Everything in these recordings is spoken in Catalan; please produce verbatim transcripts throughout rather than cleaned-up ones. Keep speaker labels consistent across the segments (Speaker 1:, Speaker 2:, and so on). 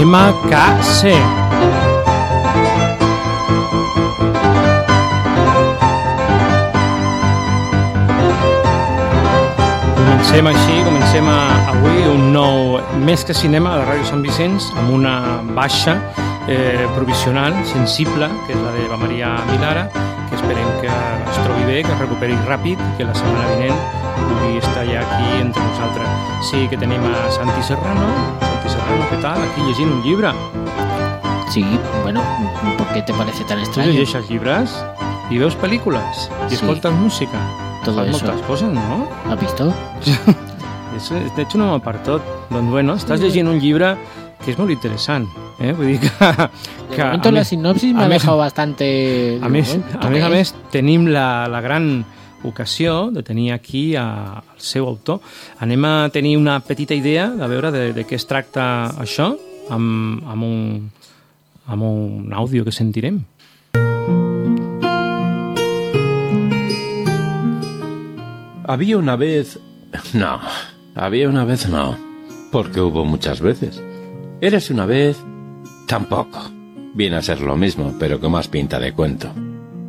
Speaker 1: M K C. Comencem així, comencem a, avui un nou Més que Cinema de Ràdio Sant Vicenç amb una baixa eh, provisional, sensible, que és la de la Maria Milara, que esperem que es trobi bé, que es recuperi ràpid i que la setmana vinent pugui estar ja aquí entre nosaltres. Sí que tenim a Santi Serrano. Santi Serrano, ¿qué tal? Aquí llegint un llibre.
Speaker 2: Sí, bueno, ¿por qué te parece tan extraño?
Speaker 1: ¿Tú llegeixes llibres? I veus pel·lícules? I
Speaker 2: Sí.
Speaker 1: escoltes música?
Speaker 2: Todo
Speaker 1: Fas
Speaker 2: eso.
Speaker 1: moltes coses, no?
Speaker 2: ¿Has visto?
Speaker 1: Eso, de hecho, no per tot. Doncs bueno, estàs llegint un llibre que és molt interessant. Eh? Vull dir que...
Speaker 2: De
Speaker 1: que
Speaker 2: momento
Speaker 1: a
Speaker 2: la
Speaker 1: més-
Speaker 2: sinopsis me
Speaker 1: a
Speaker 2: ha
Speaker 1: més-
Speaker 2: dejado bastante...
Speaker 1: A més,
Speaker 2: Bueno,
Speaker 1: a més, a
Speaker 2: ¿qué
Speaker 1: més,
Speaker 2: es?
Speaker 1: tenim la, la gran ocasió de tenir aquí a, al seu autor. Anem a tenir una petita idea de veure de, de què es tracta això amb, amb, un, amb un àudio que sentirem.
Speaker 3: Había una vez... No, había una vez no, porque hubo muchas veces. Érase una vez... Tampoco. Viene a ser lo mismo, pero con más pinta de cuento.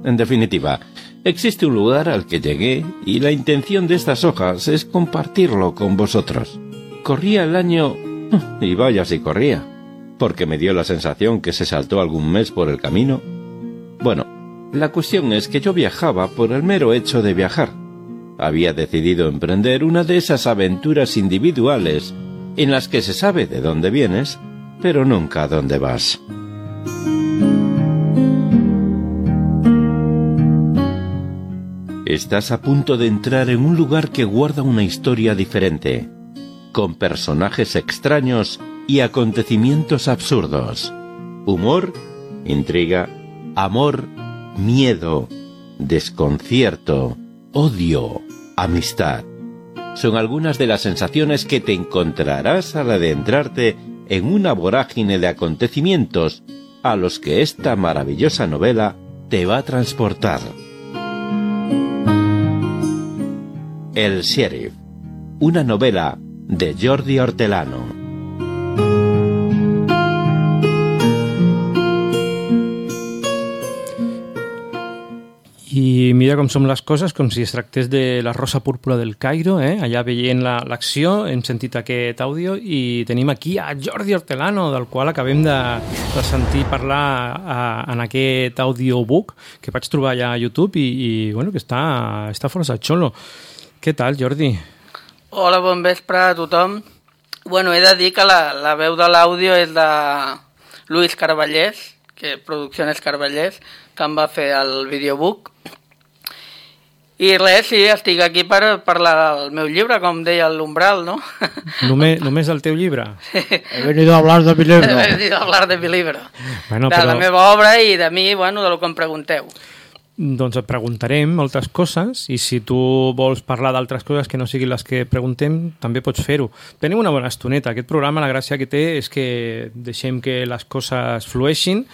Speaker 3: En definitiva, existe un lugar al que llegué y la intención de estas hojas es compartirlo con vosotros. Corría el año... Y vaya si corría, porque me dio la sensación que se saltó algún mes por el camino. Bueno, la cuestión es que yo viajaba por el mero hecho de viajar. Había decidido emprender una de esas aventuras individuales en las que se sabe de dónde vienes, pero nunca a dónde vas. Estás a punto de entrar en un lugar que guarda una historia diferente, con personajes extraños y acontecimientos absurdos. Humor, intriga, amor, miedo, desconcierto, odio, amistad. Son algunas de las sensaciones que te encontrarás al adentrarte en una vorágine de acontecimientos a los que esta maravillosa novela te va a transportar. El Sheriff, una novela de Jordi Hortelano.
Speaker 1: I mira com som les coses, com si es tractés de la Rosa Púrpura del Cairo, eh? Allà veient la- l'acció, hem sentit aquest àudio i tenim aquí a Jordi Hortelano, del qual acabem de, de sentir parlar a, en aquest audiobook que vaig trobar allà a YouTube i, i bueno, que està, està força xolo. Què tal, Jordi?
Speaker 4: Hola, bon vespre a tothom. Bueno, he de dir que la, la veu de l'àudio és de Luis Carballés, que Producciones Carballés, que em va fer el videobook. I res, sí, estic aquí per parlar del meu llibre, com deia l'Umbral, no?
Speaker 1: Només, només el teu llibre?
Speaker 2: He venido a hablar de mi libro.
Speaker 4: He venido a hablar de mi libro.
Speaker 1: Bueno,
Speaker 4: de
Speaker 1: però-
Speaker 4: la meva obra i de mi, bueno, de lo que em pregunteu.
Speaker 1: Doncs et preguntarem moltes coses i si tu vols parlar d'altres coses que no siguin les que preguntem, també pots fer-ho. Tenim una bona estoneta. Aquest programa, la gràcia que té és que deixem que les coses flueixin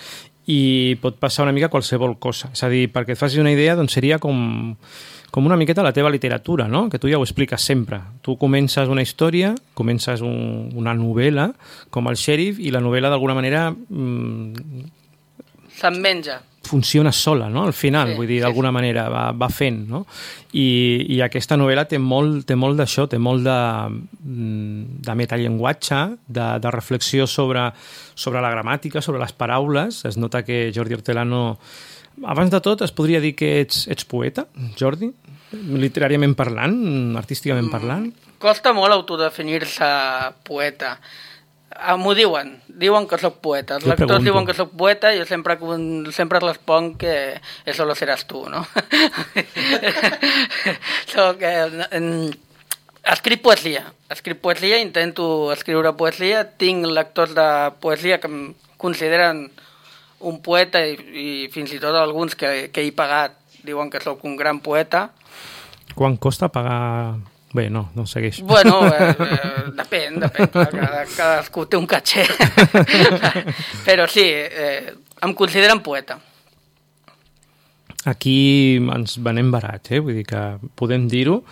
Speaker 1: i pot passar una mica qualsevol cosa. És a dir, perquè et facis una idea, doncs seria com, com una miqueta la teva literatura, no? Que tu ja ho expliques sempre. Tu comences una història, comences un, una novel·la, com el Sheriff, i la novel·la d'alguna manera mmm,
Speaker 4: Se'n menja.
Speaker 1: funciona sola, no? Al final,
Speaker 4: Sí,
Speaker 1: vull dir,
Speaker 4: sí,
Speaker 1: d'alguna manera, va, va fent, no? I, i aquesta novel·la té molt, té molt d'això, té molt de, mm, de metallenguatge, de, de reflexió sobre, sobre la gramàtica, sobre les paraules. Es nota que Jordi Hortelano... Abans de tot, es podria dir que ets, ets poeta, Jordi? Literàriament parlant, artísticament parlant?
Speaker 4: Costa molt autodefinir-se poeta. Ah, m'ho diuen, diuen que sóc poeta. Els
Speaker 1: Jo
Speaker 4: lectors
Speaker 1: pregunto.
Speaker 4: diuen que sóc poeta i jo sempre, sempre responc que eso lo seràs tu, no? Soc, eh, en, escric poesia, escric poesia, intento escriure poesia, tinc lectors de poesia que em consideren un poeta i, i fins i tot alguns que, que he pagat diuen que sóc un gran poeta.
Speaker 1: Quan costa pagar... Bé, no, no segueix.
Speaker 4: Bueno, eh, eh, depèn, depèn, clar, cada, cadascú té un caché. Però sí, eh, em consideren poeta.
Speaker 1: aquí ens venem barats, eh? Vull dir que podem dir-ho.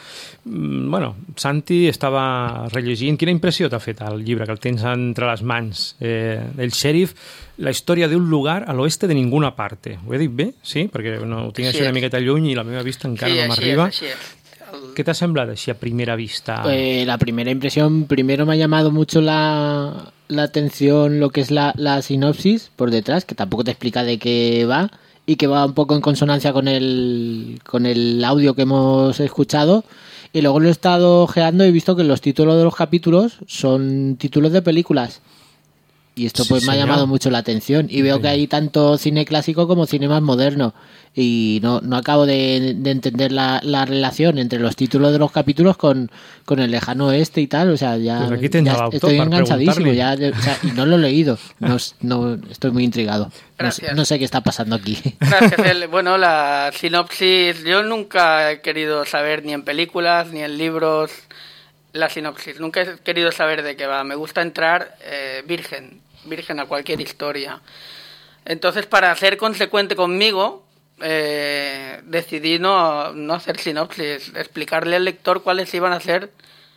Speaker 1: Bueno, Santi estava rellegint. Quina impressió t'ha fet el llibre, que el tens entre les mans? Eh, el xèrif, la història d'un lugar a l'oeste de ninguna parte. Ho he dit bé? Sí? Perquè no, ho tinc així una miqueta lluny i la meva vista encara
Speaker 4: sí,
Speaker 1: no m'arriba.
Speaker 4: Sí, així és. El...
Speaker 1: ¿Qué te ha sembrado así a primera vista?
Speaker 2: Pues la primera impresión, primero me ha llamado mucho la, la atención lo que es la, la sinopsis por detrás, que tampoco te explica de qué va y que va un poco en consonancia con el, con el audio que hemos escuchado. Y luego lo he estado ojeando y he visto que los títulos de los capítulos son títulos de películas. Y esto pues sí, me ha llamado mucho la atención. Y veo que hay tanto cine clásico como cine más moderno. Y no, no acabo de, de entender la, la relación entre los títulos de los capítulos con, con el lejano oeste y tal. O sea, ya,
Speaker 1: pues aquí
Speaker 2: ya estoy enganchadísimo. Ya, o sea, y no lo he leído. No, no, estoy muy intrigado. No, no sé qué está pasando aquí.
Speaker 4: Gracias. Bueno, la sinopsis, yo nunca he querido saber ni en películas ni en libros la sinopsis. Nunca he querido saber de qué va. Me gusta entrar eh, virgen. virgen a cualquier historia. Entonces, para ser consecuente conmigo, eh, decidí no, no hacer sinopsis, explicarle al lector cuáles iban a ser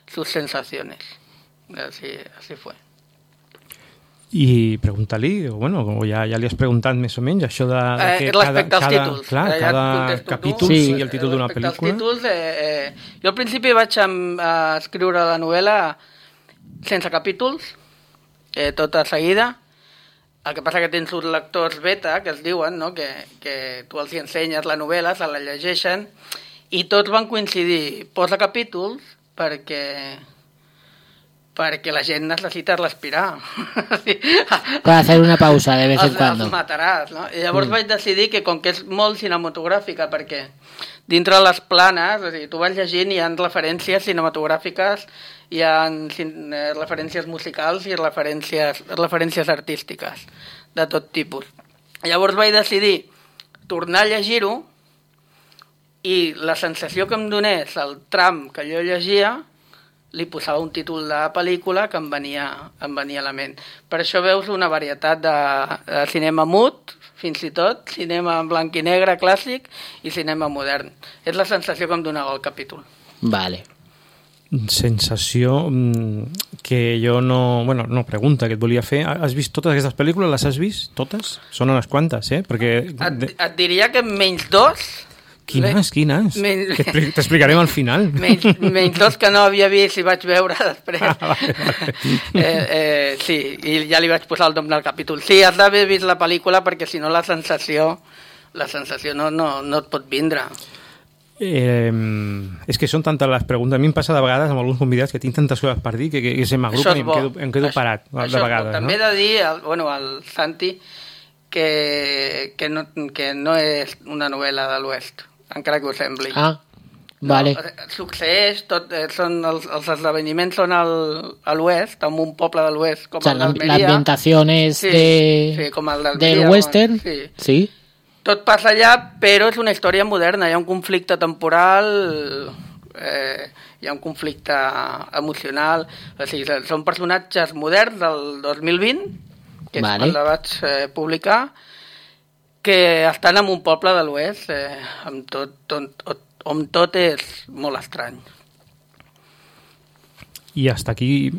Speaker 4: sus sensaciones. Así, así fue.
Speaker 1: I pregunta-li, o bueno, com ja, ja li has preguntat més o menys, això de, de
Speaker 4: que eh, cada,
Speaker 1: cada,
Speaker 4: als títols.
Speaker 1: Clar,
Speaker 4: ja
Speaker 1: cada capítol
Speaker 2: sí.
Speaker 1: sigui el títol d'una pel·lícula.
Speaker 4: Respecte als títols, eh, eh, jo al principi vaig a, a escriure la novel·la sense capítols, eh, tota seguida. El que passa que tens uns lectors beta, que es diuen, no? que, que tu els ensenyes la novel·la, se la llegeixen, i tots van coincidir. Posa capítols perquè... perquè la gent necessita respirar.
Speaker 2: Per hacer una pausa de vez en
Speaker 4: els,
Speaker 2: cuando.
Speaker 4: Els mataràs, no? I llavors mm. vaig decidir que, com que és molt cinematogràfica, perquè dintre les planes, és a dir, tu vas llegint i hi ha referències cinematogràfiques, hi ha referències musicals i referències, referències artístiques de tot tipus. Llavors vaig decidir tornar a llegir-ho i la sensació que em donés el tram que jo llegia li posava un títol de pel·lícula que em venia, em venia a la ment. Per això veus una varietat de, de cinema mut, fins i tot, cinema en blanc i negre clàssic i cinema modern. És la sensació que em donava el capítol.
Speaker 2: Vale.
Speaker 1: Sensació que jo no... Bueno, no, pregunta que et volia fer. Has vist totes aquestes pel·lícules? Les has vist? Totes? Són unes quantes, eh? Perquè...
Speaker 4: Et, et diria que menys dos...
Speaker 1: Quines, quines? Men... T'explicarem al final.
Speaker 4: Menys, menys dos que no havia vist i vaig veure després. Ah, vale, vale. Eh, eh, sí, i ja li vaig posar el nom del capítol. Sí, has d'haver vist la pel·lícula perquè si no la sensació, la sensació no, no, no et pot vindre.
Speaker 1: Eh, és que són tantes les preguntes. A mi em passa de vegades amb alguns convidats que tinc tantes coses per dir que, que, que se m'agrupen i em quedo, em quedo
Speaker 4: això,
Speaker 1: parat de
Speaker 4: això
Speaker 1: vegades.
Speaker 4: També
Speaker 1: no?
Speaker 4: he de dir al, bueno, al Santi que, que, no, que no és una novel·la de l'Oest, encara que ho sembli.
Speaker 2: Ah, vale.
Speaker 4: No, succeeix, tot, són els, els esdeveniments són al, a l'oest, en un poble de l'oest, com
Speaker 2: o sea,
Speaker 4: el d'Almeria.
Speaker 2: La ambientación es
Speaker 4: sí,
Speaker 2: de,
Speaker 4: sí, com el
Speaker 2: del western.
Speaker 4: Sí.
Speaker 2: sí.
Speaker 4: Tot passa allà, però és una història moderna. Hi ha un conflicte temporal, eh, hi ha un conflicte emocional. O sigui, són personatges moderns del dos mil vint, que
Speaker 2: vale.
Speaker 4: és quan la vaig eh, publicar, que estan en un poble de l'oest, eh, amb tot, tot, on tot és molt estrany.
Speaker 1: I hasta aquí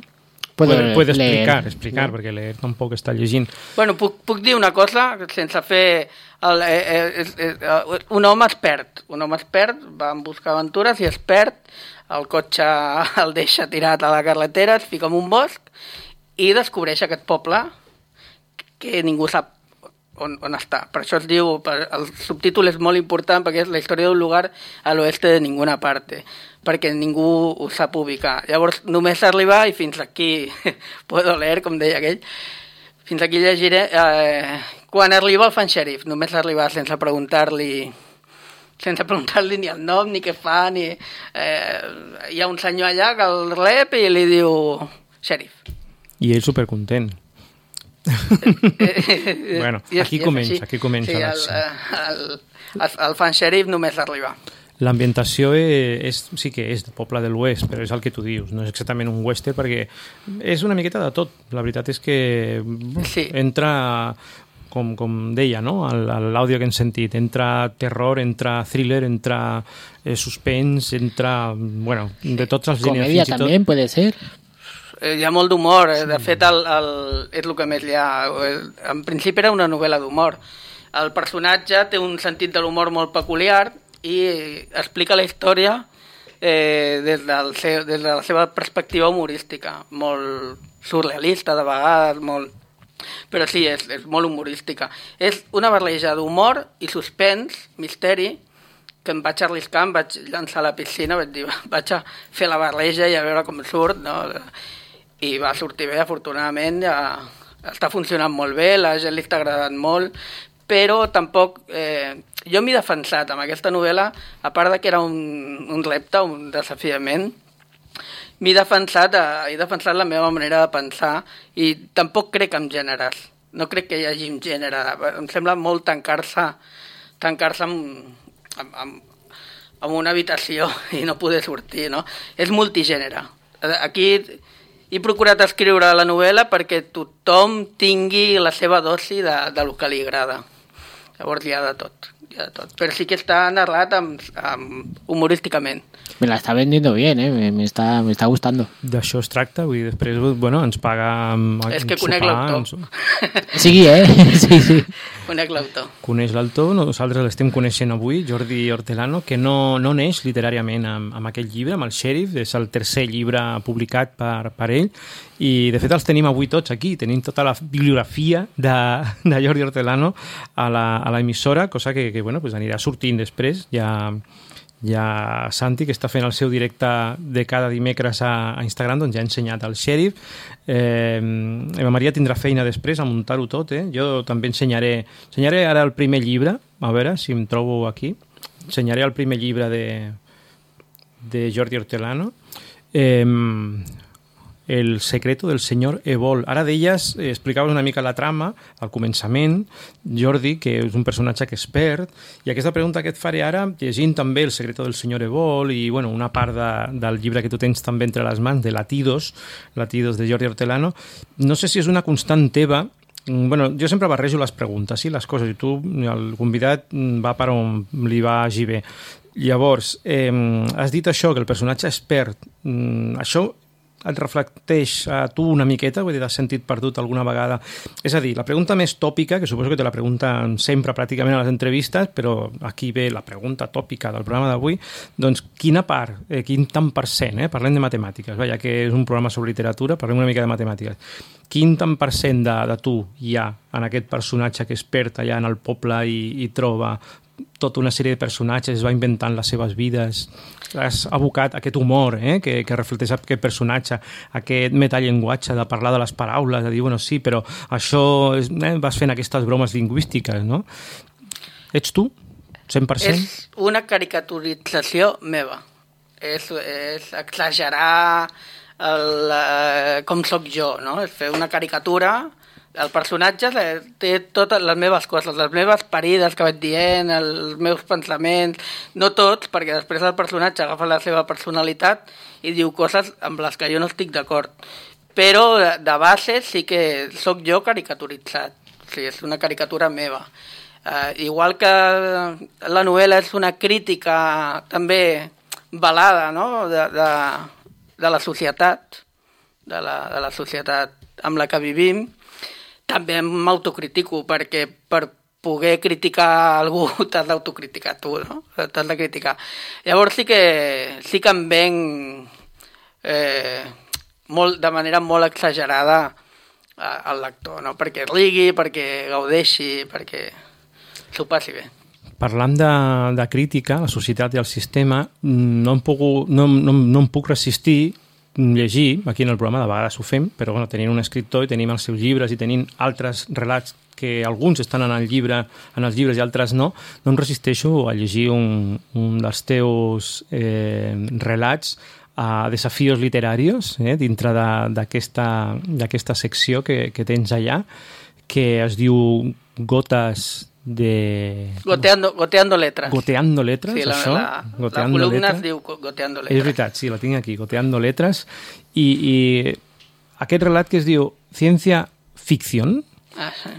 Speaker 2: puede,
Speaker 1: puede explicar,
Speaker 2: leer.
Speaker 1: explicar, no? Perquè leer tampoc està llegint.
Speaker 4: Bueno, puc, puc dir una cosa, sense fer... El, eh, eh, eh, un home es perd, un home es perd, va en buscar aventures i es perd, el cotxe el deixa tirat a la carretera, es fica en un bosc i descobreix aquest poble que ningú sap on, on està. Per això es diu, per, el subtítol és molt important perquè és la història d'un lugar a l'oeste de ninguna parte, perquè ningú ho sap ubicar. Llavors només arribar i fins aquí puedo leer, com deia aquell, fins aquí llegiré. Eh, quan arriba el fan xèrif, només arribar sense preguntar-li sense preguntar-li ni el nom, ni què fa, ni... Eh, hi ha un senyor allà que el rep i li diu xèrif.
Speaker 1: I ell supercontent. Bueno, aquí comença, aquí comença.
Speaker 4: Sí, el, el, el, el fan xèrif només arriba.
Speaker 1: L'ambientació és, sí que és de poble de l'oest, però és el que tu dius, no és exactament un western, perquè és una miqueta de tot. La veritat és que sí. entra com, com deia, no? L'àudio que hem sentit. Entra terror, entra thriller, entra eh, suspens, entra... Bueno, de tots els gèneres.
Speaker 2: Comèdia també, tot... puede ser?
Speaker 4: Hi ha molt d'humor. De fet, el, el, és el que més hi ha. En principi era una novel·la d'humor. El personatge té un sentit de l'humor molt peculiar i explica la història eh, des, del seu, des de la seva perspectiva humorística. Molt surrealista, de vegades, molt... Però sí, és, és molt humorística. És una barreja d'humor i suspens, misteri, que em vaig arriscar, em vaig llançar a la piscina, vaig dir, vaig a fer la barreja i a veure com surt, no? I va sortir bé, afortunadament, ja està funcionant molt bé, la gent li està agradant molt, però tampoc... Eh, jo m'he defensat amb aquesta novel·la, a part de que era un, un repte, un desafiament, m'he defensat, he defensat la meva manera de pensar i tampoc crec en gèneres. No crec que hi hagi un gènere. Em sembla molt tancar-se tancar-se amb, amb, amb, amb una habitació i no poder sortir, no? És multigènere. Aquí he procurat escriure la novel·la perquè tothom tingui la seva dosi de, de lo que li agrada. Llavors hi ha de tot. Hi ha de tot. Però sí que està narrat amb, amb, humorísticament.
Speaker 2: Me la está vendiendo bien, eh? me, me, está, me está gustando.
Speaker 1: D'això es tracta, vull dir, després bueno, ens paga...
Speaker 4: És que conec l'autor.
Speaker 2: Sí, eh? Sí, sí.
Speaker 4: Conec l'autor.
Speaker 1: Coneix l'autor, nosaltres l'estem coneixent avui, Jordi Hortelano, que no, no neix literàriament amb, amb aquell llibre, amb el Xèrif, és el tercer llibre publicat per, per ell, i de fet els tenim avui tots aquí, tenim tota la bibliografia de, de Jordi Hortelano a la, a la emissora, cosa que, que bueno, pues anirà sortint després, ja... Hi ha Santi, que està fent el seu directe de cada dimecres a, a Instagram, doncs ja ha ensenyat el Xèrif. Eh, Eva Maria tindrà feina després a muntar-ho tot, eh? Jo també ensenyaré, ensenyaré ara el primer llibre, a veure si em trobo aquí. Ensenyaré el primer llibre de, de Jordi Hortelano. Eh, El secreto del senyor Evol. Ara d'elles eh, explicaves una mica la trama al començament, Jordi, que és un personatge que és expert, i aquesta pregunta que et faré ara, llegint també El secreto del senyor Evol i bueno, una part de, del llibre que tu tens també entre les mans, de Latidos, Latidos de Jordi Hortelano, no sé si és una constant teva. Bueno, jo sempre barrejo les preguntes i les coses, i tu, el convidat, va per on li vagi bé. Llavors, eh, has dit això, que el personatge expert, mm, això et reflecteix a tu una miqueta, vull dir, has sentit perdut alguna vegada? És a dir, la pregunta més tòpica, que suposo que te la pregunten sempre pràcticament a les entrevistes, però aquí ve la pregunta tòpica del programa d'avui, doncs quina part, eh, quin tant per cent, eh? Parlem de matemàtiques, ja que és un programa sobre literatura, parlem una mica de matemàtiques. Quin tant per cent de, de tu hi ha en aquest personatge que es perd allà en el poble i, i troba tota una sèrie de personatges, es va inventant les seves vides, has abocat aquest humor eh, que, que reflecteix aquest personatge, aquest metallenguatge de parlar de les paraules, de dir, bueno, sí, però això és, eh, vas fent aquestes bromes lingüístiques, no? Ets tu? cent per cent?
Speaker 4: És una caricaturització meva. És, és exagerar el, eh, com sóc jo, no? És fer una caricatura. El personatge té totes les meves coses, les meves parides que vaig dient, els meus pensaments, no tots, perquè després el personatge agafa la seva personalitat i diu coses amb les que jo no estic d'acord. Però de base sí que sóc jo caricaturitzat, o sigui, és una caricatura meva. Uh, igual que la novel·la és una crítica també velada, no? de, de, de la societat, de la, de la societat amb la que vivim, també m'autocritico, perquè per poder criticar algú t'has d'autocriticar tu, no? T'has de criticar. Llavors sí que, sí que em venc eh, molt, de manera molt exagerada al lector, no? Perquè rigui, perquè gaudeixi, perquè s'ho passi bé.
Speaker 1: Parlant de, de crítica a la societat i al sistema, no em, puc, no, no, no em puc resistir llegir, aquí en el programa de vegades ho fem, però bueno, tenint un escriptor i tenim els seus llibres i tenim altres relats que alguns estan en el llibre, en els llibres i altres no, no em resisteixo a llegir un, un dels teus eh, relats a Desafíos Literarios, eh, dintre d'aquesta secció que, que tens allà, que es diu Gotes de...
Speaker 4: Goteando, goteando letras.
Speaker 1: Goteando letras,
Speaker 4: sí, la,
Speaker 1: això?
Speaker 4: La,
Speaker 1: goteando
Speaker 4: la columna
Speaker 1: letras.
Speaker 4: es diu Goteando letras.
Speaker 1: És veritat, sí, la tinc aquí, Goteando letras. I, i aquest relat que es diu Ciència Ficción,
Speaker 4: ah, sí.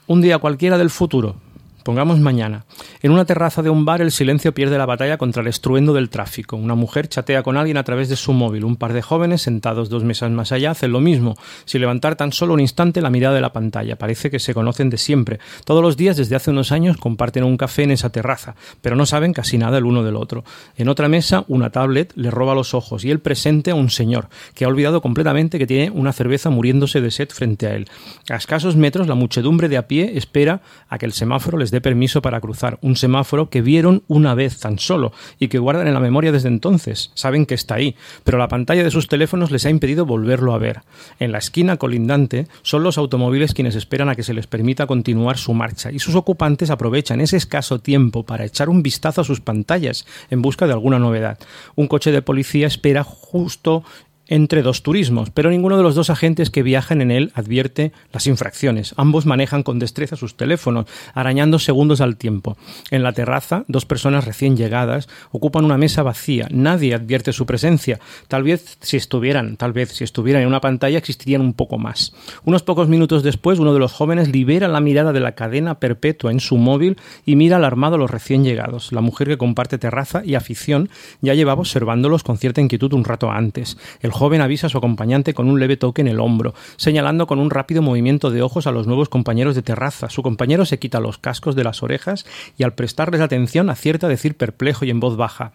Speaker 1: Un día cualquiera del futuro, pongamos mañana. En una terraza de un bar el silencio pierde la batalla contra el estruendo del tráfico. Una mujer chatea con alguien a través de su móvil. Un par de jóvenes sentados dos mesas más allá hacen lo mismo, sin levantar tan solo un instante la mirada de la pantalla. Parece que se conocen de siempre. Todos los días desde hace unos años comparten un café en esa terraza, pero no saben casi nada el uno del otro. En otra mesa una tablet le roba los ojos y él presente a un señor que ha olvidado completamente que tiene una cerveza muriéndose de sed frente a él. A escasos metros la muchedumbre de a pie espera a que el semáforo les dé permiso para cruzar, un semáforo que vieron una vez tan solo y que guardan en la memoria desde entonces. Saben que está ahí, pero la pantalla de sus teléfonos les ha impedido volverlo a ver. En la esquina colindante son los automóviles quienes esperan a que se les permita continuar su marcha y sus ocupantes aprovechan ese escaso tiempo para echar un vistazo a sus pantallas en busca de alguna novedad. Un coche de policía espera justo entre dos turismos, pero ninguno de los dos agentes que viajan en él advierte las infracciones. Ambos manejan con destreza sus teléfonos, arañando segundos al tiempo. En la terraza, dos personas recién llegadas ocupan una mesa vacía. Nadie advierte su presencia. Tal vez si estuvieran, tal vez si estuvieran en una pantalla existirían un poco más. Unos pocos minutos después, uno de los jóvenes libera la mirada de la cadena perpetua en su móvil y mira alarmado a los recién llegados. La mujer que comparte terraza y afición ya llevaba observándolos con cierta inquietud un rato antes. El joven avisa a su acompañante con un leve toque en el hombro, señalando con un rápido movimiento de ojos a los nuevos compañeros de terraza. Su compañero se quita los cascos de las orejas y al prestarles atención acierta a decir perplejo y en voz baja: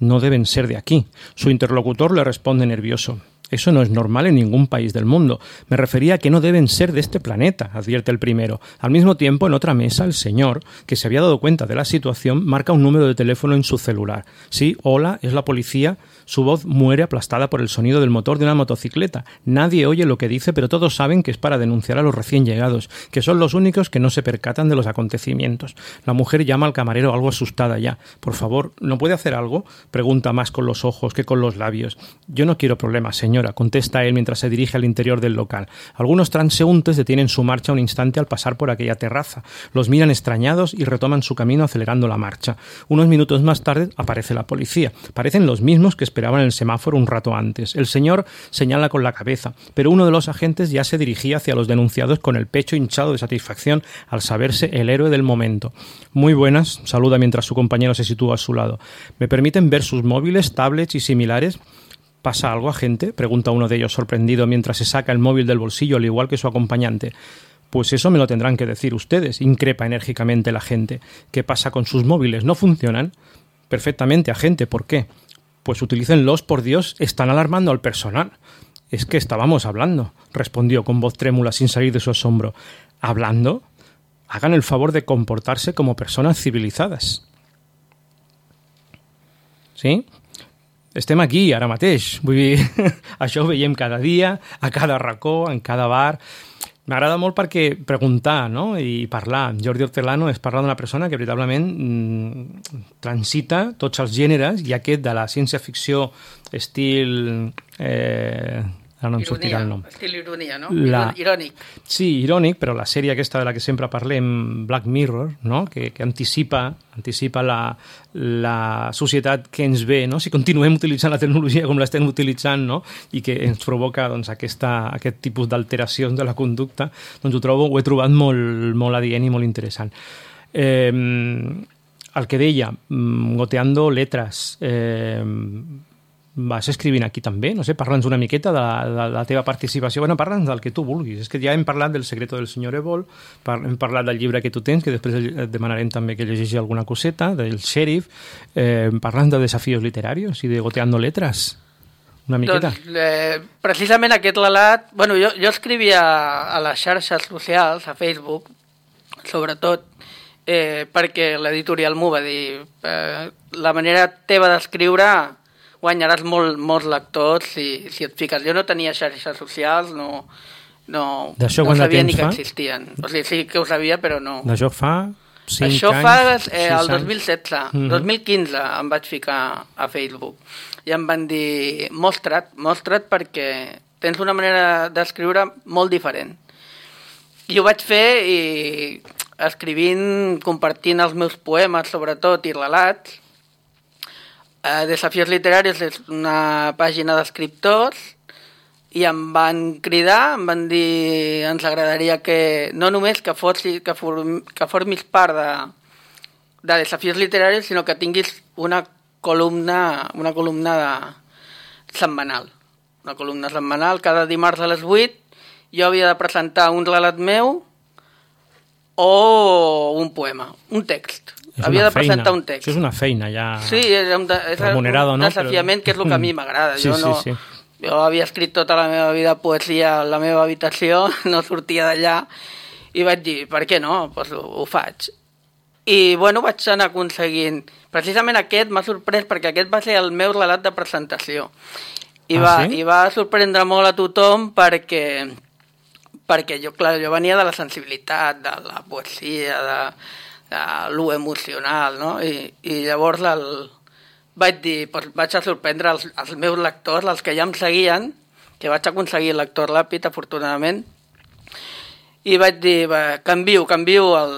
Speaker 1: «No deben ser de aquí». Su interlocutor le responde nervioso: «Eso no es normal en ningún país del mundo. Me refería a que no deben ser de este planeta», advierte el primero. Al mismo tiempo, en otra mesa, el señor, que se había dado cuenta de la situación, marca un número de teléfono en su celular. Sí, hola, es la policía. Su voz muere aplastada por el sonido del motor de una motocicleta. Nadie oye lo que dice, pero todos saben que es para denunciar a los recién llegados, que son los únicos que no se percatan de los acontecimientos. La mujer llama al camarero algo asustada ya. «Por favor, ¿no puede hacer algo?», pregunta más con los ojos que con los labios. «Yo no quiero problemas, señora», contesta él mientras se dirige al interior del local. Algunos transeúntes detienen su marcha un instante al pasar por aquella terraza. Los miran extrañados y retoman su camino acelerando la marcha. Unos minutos más tarde aparece la policía. Parecen los mismos que esperaban en el semáforo un rato antes. El señor señala con la cabeza, pero uno de los agentes ya se dirigía hacia los denunciados con el pecho hinchado de satisfacción al saberse el héroe del momento. «Muy buenas», saluda mientras su compañero se sitúa a su lado. «¿Me permiten ver sus móviles, tablets y similares?» «¿Pasa algo, agente?», pregunta uno de ellos sorprendido mientras se saca el móvil del bolsillo al igual que su acompañante. «Pues eso me lo tendrán que decir ustedes», increpa enérgicamente el agente. «¿Qué pasa con sus móviles? ¿No funcionan?» «Perfectamente, agente. ¿Por qué?» «Pues utilícenlos, por Dios, están alarmando al personal». «Es que estábamos hablando», respondió con voz trémula sin salir de su asombro. «¿Hablando? Hagan el favor de comportarse como personas civilizadas». ¿Sí? Estem aquí, ara mateix. Vull dir, això ho veiem cada dia, a cada racó, en cada bar. M'agrada molt perquè preguntar, no?, i parlar. Jordi Hortelano és parlar d'una persona que veritablement mm, transita tots els gèneres i aquest de la ciència-ficció estil... Eh, ara no em sortirà el nom.
Speaker 4: Estil ironia, no?
Speaker 1: La...
Speaker 4: Irònic.
Speaker 1: Sí, irònic, però la sèrie aquesta de la que sempre parlem, Black Mirror, no?, que, que anticipa, anticipa la, la societat que ens ve, no?, si continuem utilitzant la tecnologia com l'estem utilitzant, no?, i que ens provoca doncs, aquesta, aquest tipus d'alteracions de la conducta, doncs ho trobo, ho he trobat molt, molt adient i molt interessant. Eh, el que deia, goteando letras, eh, vas escrivint aquí també, no sé, parla'ns una miqueta de la, de la teva participació. Bueno, parla'ns del que tu vulguis. És que ja hem parlat del Secreto del Senyor Evol, par hem parlat del llibre que tu tens, que després et demanarem també que llegeixi alguna coseta, del Sheriff. Eh, parla'ns de Desafíos Literarios i de Goteando Letras. Una miqueta.
Speaker 4: Doncs, eh, precisament aquest relat... Bueno, jo, jo escrivia a les xarxes socials, a Facebook, sobretot, eh, perquè l'editorial m'ho va dir. Eh, la manera teva d'escriure guanyaràs molt, molts lectors si, si et fiques. Jo no tenia xarxes socials, no, no, no sabia ni que fa? existien. O sigui, sí que ho sabia, però no.
Speaker 1: D'això fa cinc
Speaker 4: Això
Speaker 1: anys?
Speaker 4: fa eh, el dos mil setze. Mm -hmm. dos mil quinze em vaig ficar a Facebook. I em van dir, mostra't, mostra't perquè tens una manera d'escriure molt diferent. I ho vaig fer i escrivint, compartint els meus poemes, sobretot, i relats. Uh, Desafíos Literarios és una pàgina d'escriptors i em van cridar, em van dir ens agradaria que no només que, fossi, que, form, que formis part de, de desafios literaris, sinó que tinguis una columna, una columna de, setmanal. Una columna setmanal, cada dimarts a les vuit, jo havia de presentar un relat meu o un poema, un text.
Speaker 1: És
Speaker 4: havia de
Speaker 1: feina.
Speaker 4: presentar un text.
Speaker 1: Això és una feina ja
Speaker 4: sí, és un, de, és
Speaker 1: remunerado,
Speaker 4: un
Speaker 1: no?
Speaker 4: desafiament, però... que és el que a mi m'agrada.
Speaker 1: Sí,
Speaker 4: jo, no,
Speaker 1: sí, sí.
Speaker 4: jo havia escrit tota la meva vida poesia a la meva habitació, no sortia d'allà, i vaig dir, per què no? Pues ho, ho faig. I, bueno, vaig anar aconseguint... Precisament aquest m'ha sorprès perquè aquest va ser el meu relat de presentació. I,
Speaker 1: ah,
Speaker 4: va,
Speaker 1: sí?
Speaker 4: i va sorprendre molt a tothom perquè, perquè jo, clar, jo venia de la sensibilitat, de la poesia, de, de lo emocional, no? I, i llavors el, vaig dir, doncs vaig a sorprendre els, els meus lectors, els que ja em seguien, que vaig aconseguir el lector ràpid, afortunadament, i vaig dir, va, canvio, canvio el,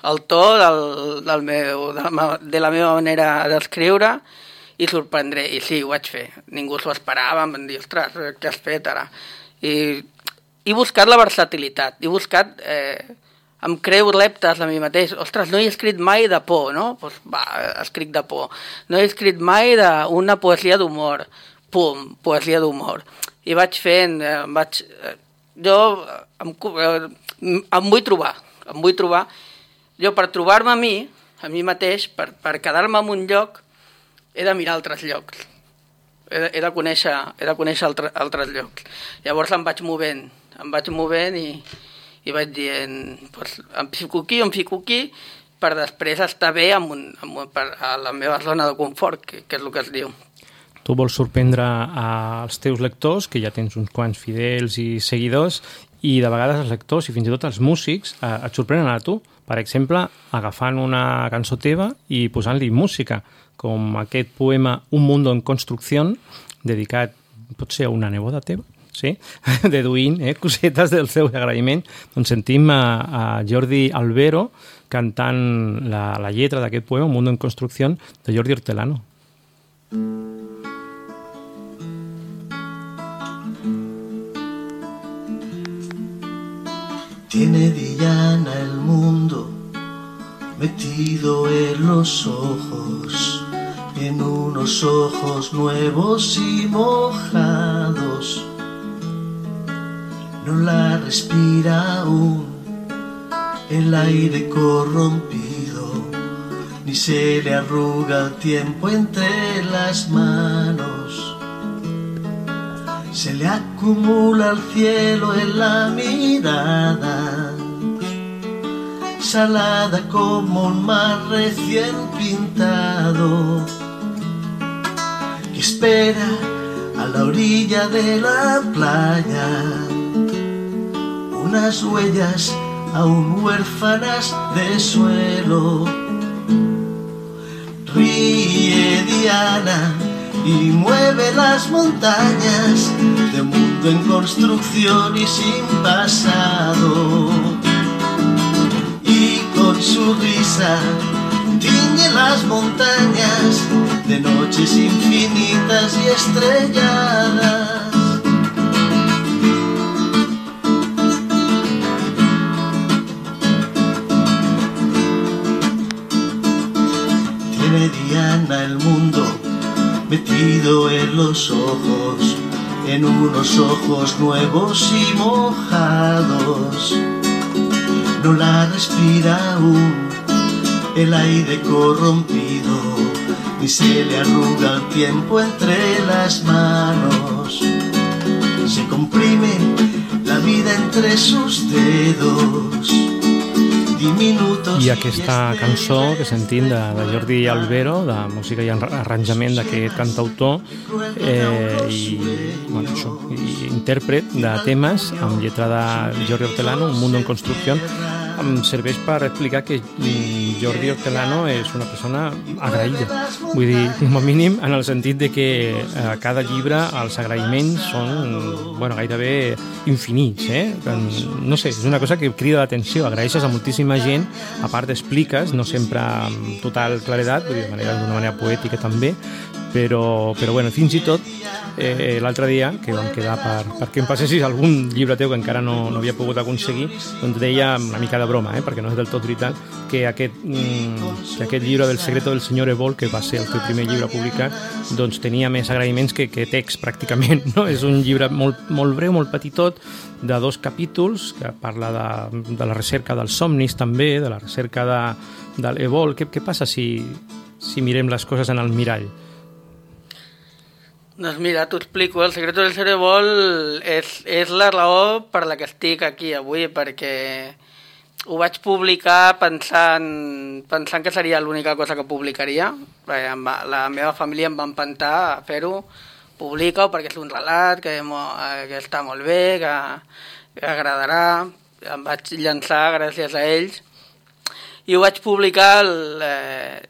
Speaker 4: el to del, del meu, de, la, de la meva manera d'escriure, i sorprendré, i sí, ho vaig fer. Ningú s'ho esperava, em van dir, ostres, què has fet ara? I he buscat la versatilitat, he buscat, eh, em creu reptes a mi mateix. Ostres, no he escrit mai de por, no? Pues, va, escric de por. No he escrit mai d'una poesia d'humor. Pum, poesia d'humor. I vaig fent, eh, vaig... Eh, jo em, eh, em vull trobar, em vull trobar. Jo, per trobar-me a mi, a mi mateix, per, per quedar-me en un lloc, he de mirar altres llocs, he de, he de conèixer, he de conèixer altre, altres llocs. Llavors em vaig movent, em vaig movent i, i vaig dient, pues, em fico aquí, em fico aquí, per després estar bé amb un, amb un, per, a la meva zona de confort, que, que és el que es diu.
Speaker 1: Tu vols sorprendre als teus lectors, que ja tens uns quants fidels i seguidors, i de vegades els lectors i fins i tot els músics eh, et sorprenen a tu. Per exemple, agafant una cançó teva i posant-li música, com aquest poema Un mundo en construcción, dedicat potser a una neboda teva, sí? Deduint eh, cosetes del seu agraïment. Doncs sentim a, a Jordi Albero cantant la, la lletra d'aquest poema, Un mundo en construcción, de Jordi Hortelano.
Speaker 5: Tiene Diana el mundo metido en los ojos, en unos ojos nuevos y mojados. No la respira aún el aire corrompido, ni se le arruga el tiempo entre las manos. Se le acumula el cielo en la mirada, salada como un mar recién pintado, que espera a la orilla de la playa unas huellas aún huérfanas de suelo. Ríe Diana y mueve las montañas de un mundo en construcción y sin pasado, y con su risa tiñe las montañas de noches infinitas y estrelladas. Tiene Diana el mundo metido en los ojos, en unos ojos nuevos y mojados. No la respira aún el aire corrompido, ni se le arruga el tiempo entre las manos. Se comprime la vida entre sus dedos.
Speaker 1: I aquesta cançó que sentim de, de Jordi Albero, de música i arranjament d'aquest cantautor eh, i, bueno, això, i intèrpret de temes amb lletra de Jordi Hortelano, Un mundo en construcción, em serveix per explicar que Jordi Hortelano és una persona agraïda. Vull dir, com a mínim, en el sentit de que a cada llibre els agraïments són, bueno, gairebé infinits, eh? No sé, és una cosa que crida l'atenció. Agraeixes a moltíssima gent, a part expliques, no sempre amb total claredat, vull dir, de manera, d'una manera poètica també, però, però bueno, fins i tot eh, l'altre dia, que vam quedar per, perquè em passessis algun llibre teu que encara no, no havia pogut aconseguir, doncs deia una mica de broma, eh, perquè no és del tot veritat, que aquest, mm, que aquest llibre del secreto del senyor Ebol, que va ser el teu primer llibre publicat, doncs tenia més agraïments que, que text, pràcticament, no? És un llibre molt, molt breu, molt petitot, de dos capítols, que parla de, de la recerca dels somnis també, de la recerca de, de l'Ebol. Què, què passa si, si mirem les coses en el mirall?
Speaker 4: Doncs mira, t'ho explico. El secret del Cerebol és, és la raó per la que estic aquí avui, perquè ho vaig publicar pensant, pensant que seria l'única cosa que publicaria. La meva família em va empantar a fer-ho. Publica-ho perquè és un relat que, que està molt bé, que, que agradarà. Em vaig llançar gràcies a ells. I ho vaig publicar... El, eh,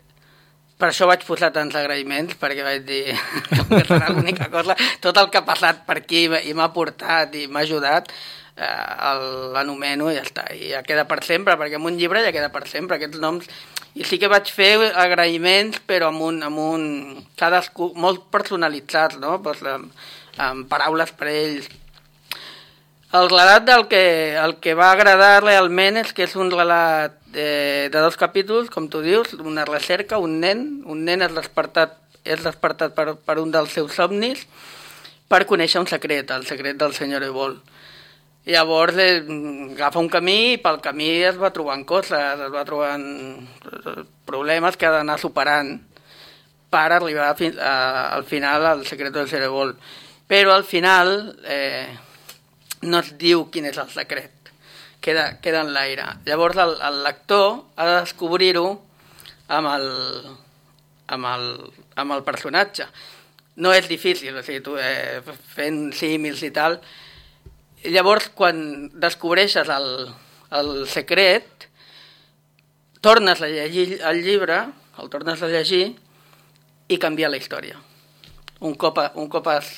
Speaker 4: Per això vaig posar tants agraïments, perquè vaig dir que serà l'única cosa. Tot el que ha passat per aquí i m'ha portat i m'ha ajudat, eh, l'anomeno i ja està. I ja queda per sempre, perquè en un llibre ja queda per sempre, aquests noms. I sí que vaig fer agraïments, però amb un, amb un cadascú, molt personalitzats, no? Pues, amb, amb paraules per ells. El relat del que, el que va agradar realment és que és un relat de, de dos capítols, com tu dius, una recerca, un nen, un nen és despertat, és despertat per, per un dels seus somnis per conèixer un secret, el secret del senyor Ebol. Llavors eh, agafa un camí i pel camí es va trobant coses, es va trobant problemes que ha d'anar superant per arribar fi, a, al final al secret del senyor Ebol. Però al final... Eh, no es diu quin és el secret, queda, queda en l'aire. Llavors el, el lector ha de descobrir-ho amb el, amb, el, amb el personatge. No és difícil, o sigui, tu, eh, fent símils i tal. Llavors, quan descobreixes el, el secret, tornes a llegir el llibre, el tornes a llegir i canvia la història. Un cop, un cop has,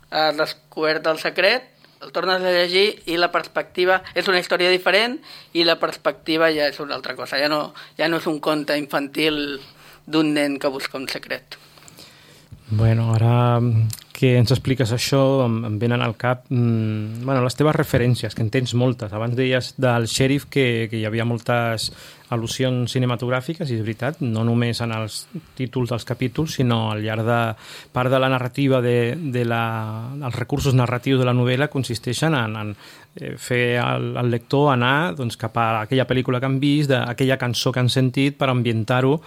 Speaker 4: has descobert el secret, el tornes a llegir i la perspectiva és una història diferent i la perspectiva ja és una altra cosa. Ja no, ja no és un conte infantil d'un nen que busca un secret.
Speaker 1: Bueno, ara que ens expliques això em, em venen al cap mmm, bueno, les teves referències, que en tens moltes. Abans deies del xèrif que, que hi havia moltes al·lusions cinematogràfiques, i és veritat, no només en els títols dels capítols, sinó al llarg de part de la narrativa, de, de la, els recursos narratius de la novel·la consisteixen en, en fer el, el lector anar doncs, cap a aquella pel·lícula que han vist, aquella cançó que han sentit per ambientar-ho.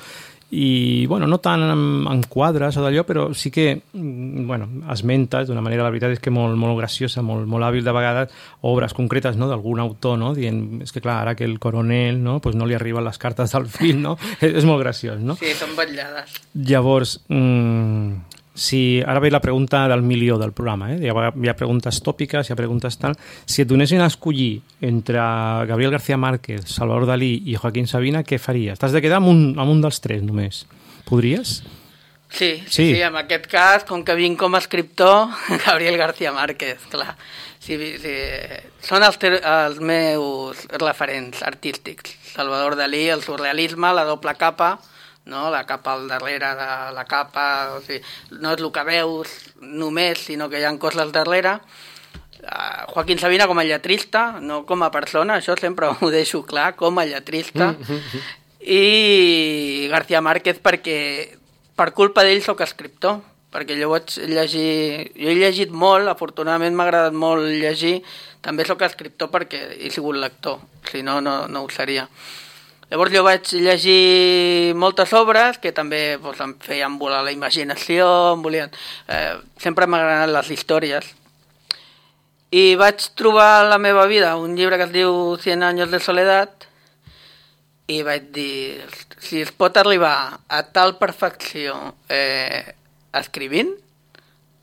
Speaker 1: I, bueno, no tant en, en quadres o d'allò, però sí que, bueno, esmentes d'una manera, la veritat és que molt, molt graciosa, molt, molt hàbil de vegades, obres concretes, no?, d'algun autor, no?, dient, és que clar, ara que el coronel, no?, pues no li arriben les cartes del fill, no?, és, és molt graciós, no?
Speaker 4: Sí, són vetllades.
Speaker 1: Llavors, mmm, si ara ve la pregunta del milió del programa, eh? Hi ha, hi ha preguntes tòpiques, hi ha preguntes tal. Si et donessin a escollir entre Gabriel García Márquez, Salvador Dalí i Joaquín Sabina, què faries? T'has de quedar amb un, amb un dels tres només. Podries?
Speaker 4: Sí, sí, sí, sí, en aquest cas, com que vinc com a escriptor, Gabriel García Márquez, clar. Sí, sí, són els, els meus referents artístics. Salvador Dalí, el surrealisme, la doble capa, no? La capa al darrere de la capa, o sigui, no és el que veus només, sinó que hi ha coses al darrere. Uh, Joaquín Sabina com a lletrista, no com a persona, això sempre ho deixo clar, com a lletrista. Mm-hmm. I García Márquez perquè per culpa d'ell soc escriptor, perquè jo vaig llegir, jo he llegit molt, afortunadament m'ha agradat molt llegir, també soc escriptor perquè he sigut lector, si no, no, no ho seria. Llavors jo vaig llegir moltes obres que també doncs, em feien volar la imaginació, em volien... Eh, sempre m'han agradat les històries. I vaig trobar a la meva vida un llibre que es diu Cien años de soledat i vaig dir, si es pot arribar a tal perfecció eh, escrivint,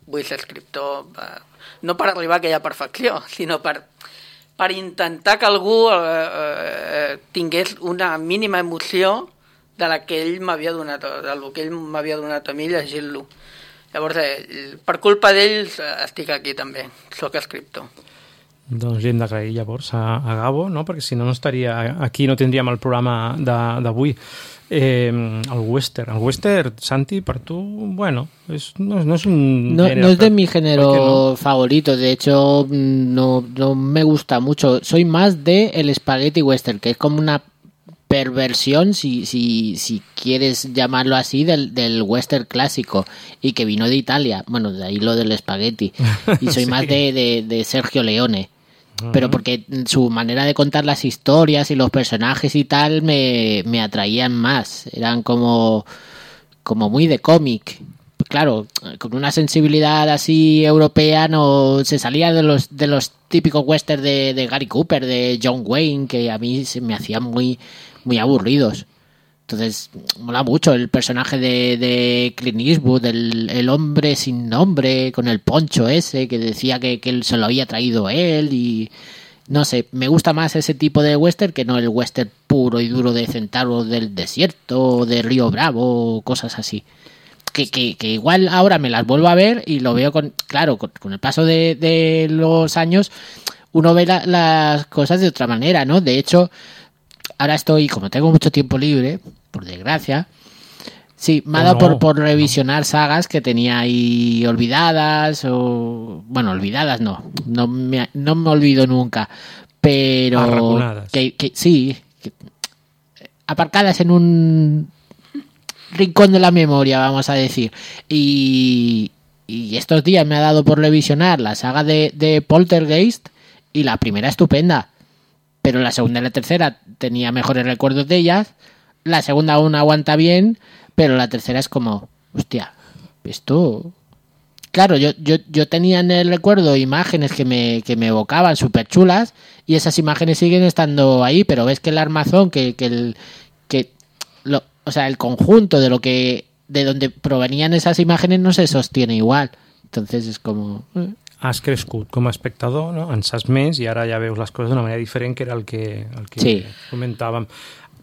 Speaker 4: vull ser escriptor, eh, no per arribar a aquella perfecció, sinó per... per intentar que algú eh, eh, tingués una mínima emoció de la que ell m'havia donat, del que ell m'havia donat a mi llegint-lo. Llavors, eh, per culpa d'ells estic aquí també, soc escriptor.
Speaker 1: Doncs li hem d'agrair llavors a, a Gabo, no? Perquè si no, no estaria aquí, no tindríem el programa d'avui. Eh, el western. El western, Santi, per tu, bueno, es, no, no es un
Speaker 2: No,
Speaker 1: género,
Speaker 2: no es de
Speaker 1: pero-
Speaker 2: mi género
Speaker 1: ¿por qué
Speaker 2: favorito, de hecho no, no me gusta mucho. Soy más de el spaghetti western, que es como una perversión, si, si, si quieres llamarlo así, del, del western clásico y que vino de Italia. Bueno, de ahí lo del spaghetti. Y soy
Speaker 1: Sí.
Speaker 2: más de, de, de Sergio Leone. Pero porque su manera de contar las historias y los personajes y tal me, me atraían más. Eran como, como muy de cómic. Claro, con una sensibilidad así europea no se salía de los de los típicos westerns de, de Gary Cooper, de John Wayne, que a mí se me hacían muy, muy aburridos. Entonces, mola mucho el personaje de, de Clint Eastwood, el, el hombre sin nombre, con el poncho ese, que decía que, que él se lo había traído él y... No sé, me gusta más ese tipo de western que no el western puro y duro de Centauro del Desierto, o de Río Bravo, o cosas así. Que, que, que igual ahora me las vuelvo a ver y lo veo con... Claro, con, con el paso de, de los años uno ve la, las cosas de otra manera, ¿no? De hecho... Ahora estoy, como tengo mucho tiempo libre, por desgracia, sí, me ha
Speaker 1: Oh,
Speaker 2: dado
Speaker 1: no.
Speaker 2: por, por revisionar sagas que tenía ahí olvidadas, o bueno, olvidadas no, no me, no me olvido nunca, pero
Speaker 1: Arraconadas.
Speaker 2: que, que sí, que- aparcadas en un rincón de la memoria, vamos a decir, y, y estos días me ha dado por revisionar la saga de, de Poltergeist, y la primera estupenda. Pero la segunda y la tercera tenía mejores recuerdos de ellas. La segunda aún aguanta bien, pero la tercera es como, hostia, esto... Claro, yo, yo, yo tenía en el recuerdo imágenes que me, que me evocaban súper chulas y esas imágenes siguen estando ahí, pero ves que el armazón, que, que el... Que lo, o sea, el conjunto de lo que... de donde provenían esas imágenes no se sostiene igual. Entonces es como... eh.
Speaker 1: Has crescut com a espectador, no? En saps més i ara ja veus les coses d'una manera diferent, que era el que, el que
Speaker 2: Sí.
Speaker 1: comentàvem.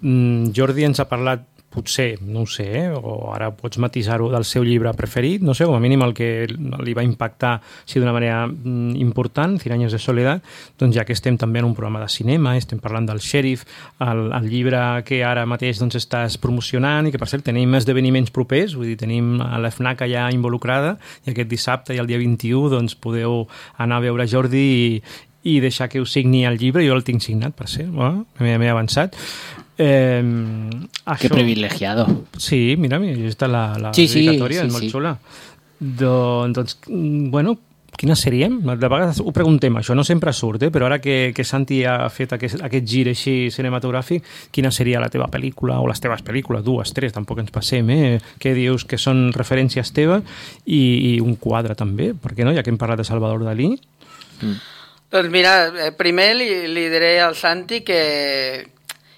Speaker 1: Mm, Jordi ens ha parlat, potser, no ho sé, eh? O ara pots matisar-ho, del seu llibre preferit, no sé, com a mínim el que li va impactar sí, d'una manera mm, important, Cien años de soledad, doncs ja que estem també en un programa de cinema, estem parlant del Sheriff, el, el llibre que ara mateix doncs, estàs promocionant i que, per cert, tenim esdeveniments propers, vull dir, tenim a la FNAC allà involucrada i aquest dissabte i el dia vint-i-u doncs, podeu anar a veure Jordi i, i deixar que us signi el llibre. Jo el tinc signat, per cert, bueno, m'he avançat. Eh,
Speaker 2: Qué privilegiado.
Speaker 1: Sí, mira, mira, està la, la
Speaker 2: Sí, sí,
Speaker 1: dedicatòria,
Speaker 2: sí,
Speaker 1: és molt
Speaker 2: sí.
Speaker 1: xula. Doncs, doncs, mm, bueno, quina seríem? De vegades ho preguntem, això no sempre surt, eh? Però ara que, que Santi ha fet aquest, aquest gir així cinematogràfic, quina seria la teva pel·lícula, o les teves pel·lícules, dues, tres, tampoc ens passem, eh? Què dius que són referències teves? I, i un quadre també, per què no? Ja que hem parlat de Salvador Dalí.
Speaker 4: Doncs mira, eh, primer li, li diré al Santi que,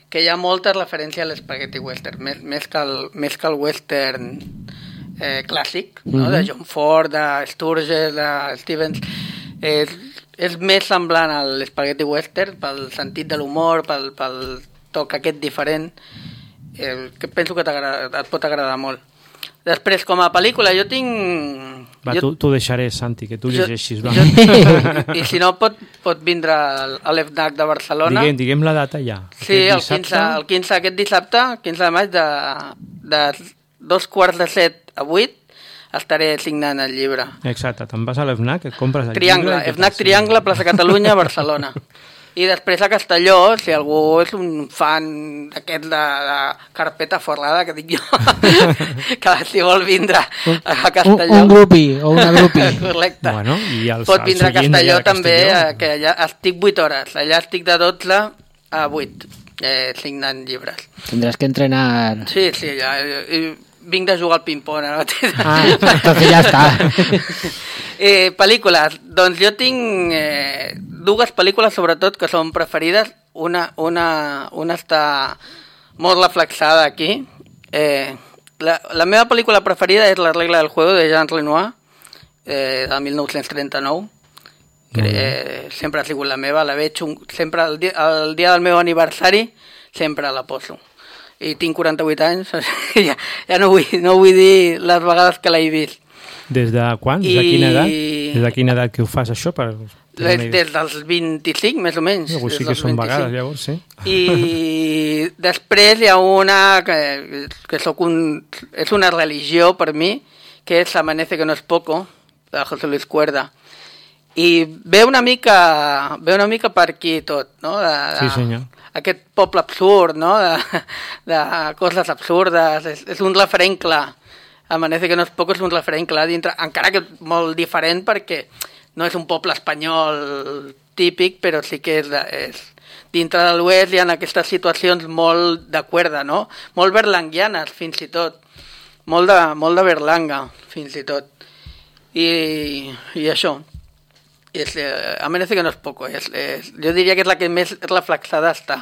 Speaker 4: que hi ha molta referència a l'Spaghetti Western, més, més, que el, més que el western eh, clàssic, no?
Speaker 2: Mhm.
Speaker 4: De John Ford, de Sturges, de Stevens. És, és més semblant a l'Spaghetti Western pel sentit de l'humor, pel, pel toc aquest diferent, eh, que penso que et pot agradar molt. Després, com a pel·lícula, jo tinc...
Speaker 1: Va,
Speaker 4: jo,
Speaker 1: tu, tu deixaré, Santi, que tu llegeixis. Va.
Speaker 4: jo, I si no, pot, pot vindre al- a l'EFNAC de Barcelona.
Speaker 1: Diguem, diguem la data ja.
Speaker 4: Sí, el
Speaker 1: Aquest
Speaker 4: quinze, el quinze, aquest dissabte, quinze de maig, de, de dos quarts de set a vuit, estaré signant el llibre.
Speaker 1: Exacte, te'n vas a l'EFNAC, et compres el
Speaker 4: Triangle,
Speaker 1: llibre... i
Speaker 4: FNAC
Speaker 1: te'l
Speaker 4: Triangle, plaça Catalunya, Barcelona. I després a Castelló, si algú és un fan d'aquest de, de carpeta forrada, que dic jo, que si vol vindre a
Speaker 2: Un,
Speaker 4: Castelló...
Speaker 2: un grupi o una grupi.
Speaker 4: Correcte.
Speaker 1: Bueno, i els,
Speaker 4: Pot
Speaker 1: els
Speaker 4: vindre a
Speaker 1: oients
Speaker 4: Castelló
Speaker 1: d'allà de
Speaker 4: també,
Speaker 1: Castelló.
Speaker 4: eh, que allà estic vuit hores. Allà estic de dotze a vuit, eh, signant llibres.
Speaker 2: Tendrás que entrenar.
Speaker 4: Sí, sí, ja. I, vinc de jugar al ping-pong ara mateix.
Speaker 2: Ah, entonces ya está.
Speaker 4: eh, pel·lícules. Doncs jo tinc eh, dues pel·lícules, sobretot, que són preferides. Una, una, una està molt reflexada aquí. Eh, la, la meva pel·lícula preferida és La regla del juego, de Jean Renoir, eh, de mil nou-cents trenta-nou. Que, eh, sempre ha sigut la meva, la veig un, sempre el dia, el dia del meu aniversari, sempre la poso. I tinc quaranta-vuit anys, o sigui, ja, ja no, vull, no vull dir les vegades que l'he vist.
Speaker 1: Des de quan? Des de
Speaker 4: I-
Speaker 1: quina edat? Des de quina edat que ho fas, això? Per, per
Speaker 4: Des, des dels vint-i-cinc, més o menys.
Speaker 1: No, pues sí
Speaker 4: des
Speaker 1: que
Speaker 4: dels
Speaker 1: són
Speaker 4: vint-i-cinc.
Speaker 1: vegades, llavors, sí.
Speaker 4: I Després hi ha una que, que soc un, és una religió per mi, que és Amanece que no es poco, de José Luis Cuerda. I ve una mica, ve una mica per aquí tot, no? De, de,
Speaker 1: sí, senyor.
Speaker 4: Aquest poble absurd, no? De, de coses absurdes, és, és un referent clar. Amanece que no es poco és un referent clar dintre, encara que molt diferent perquè no és un poble espanyol típic, però sí que és, és dintre de l'oest hi ha aquestes situacions molt de Cuerda, no? Molt berlanguianes, fins i tot. Molt de, molt de Berlanga, fins i tot. I, i això. És, eh, Amanece que no és poco. És, és, jo diria que és la que més reflexada està.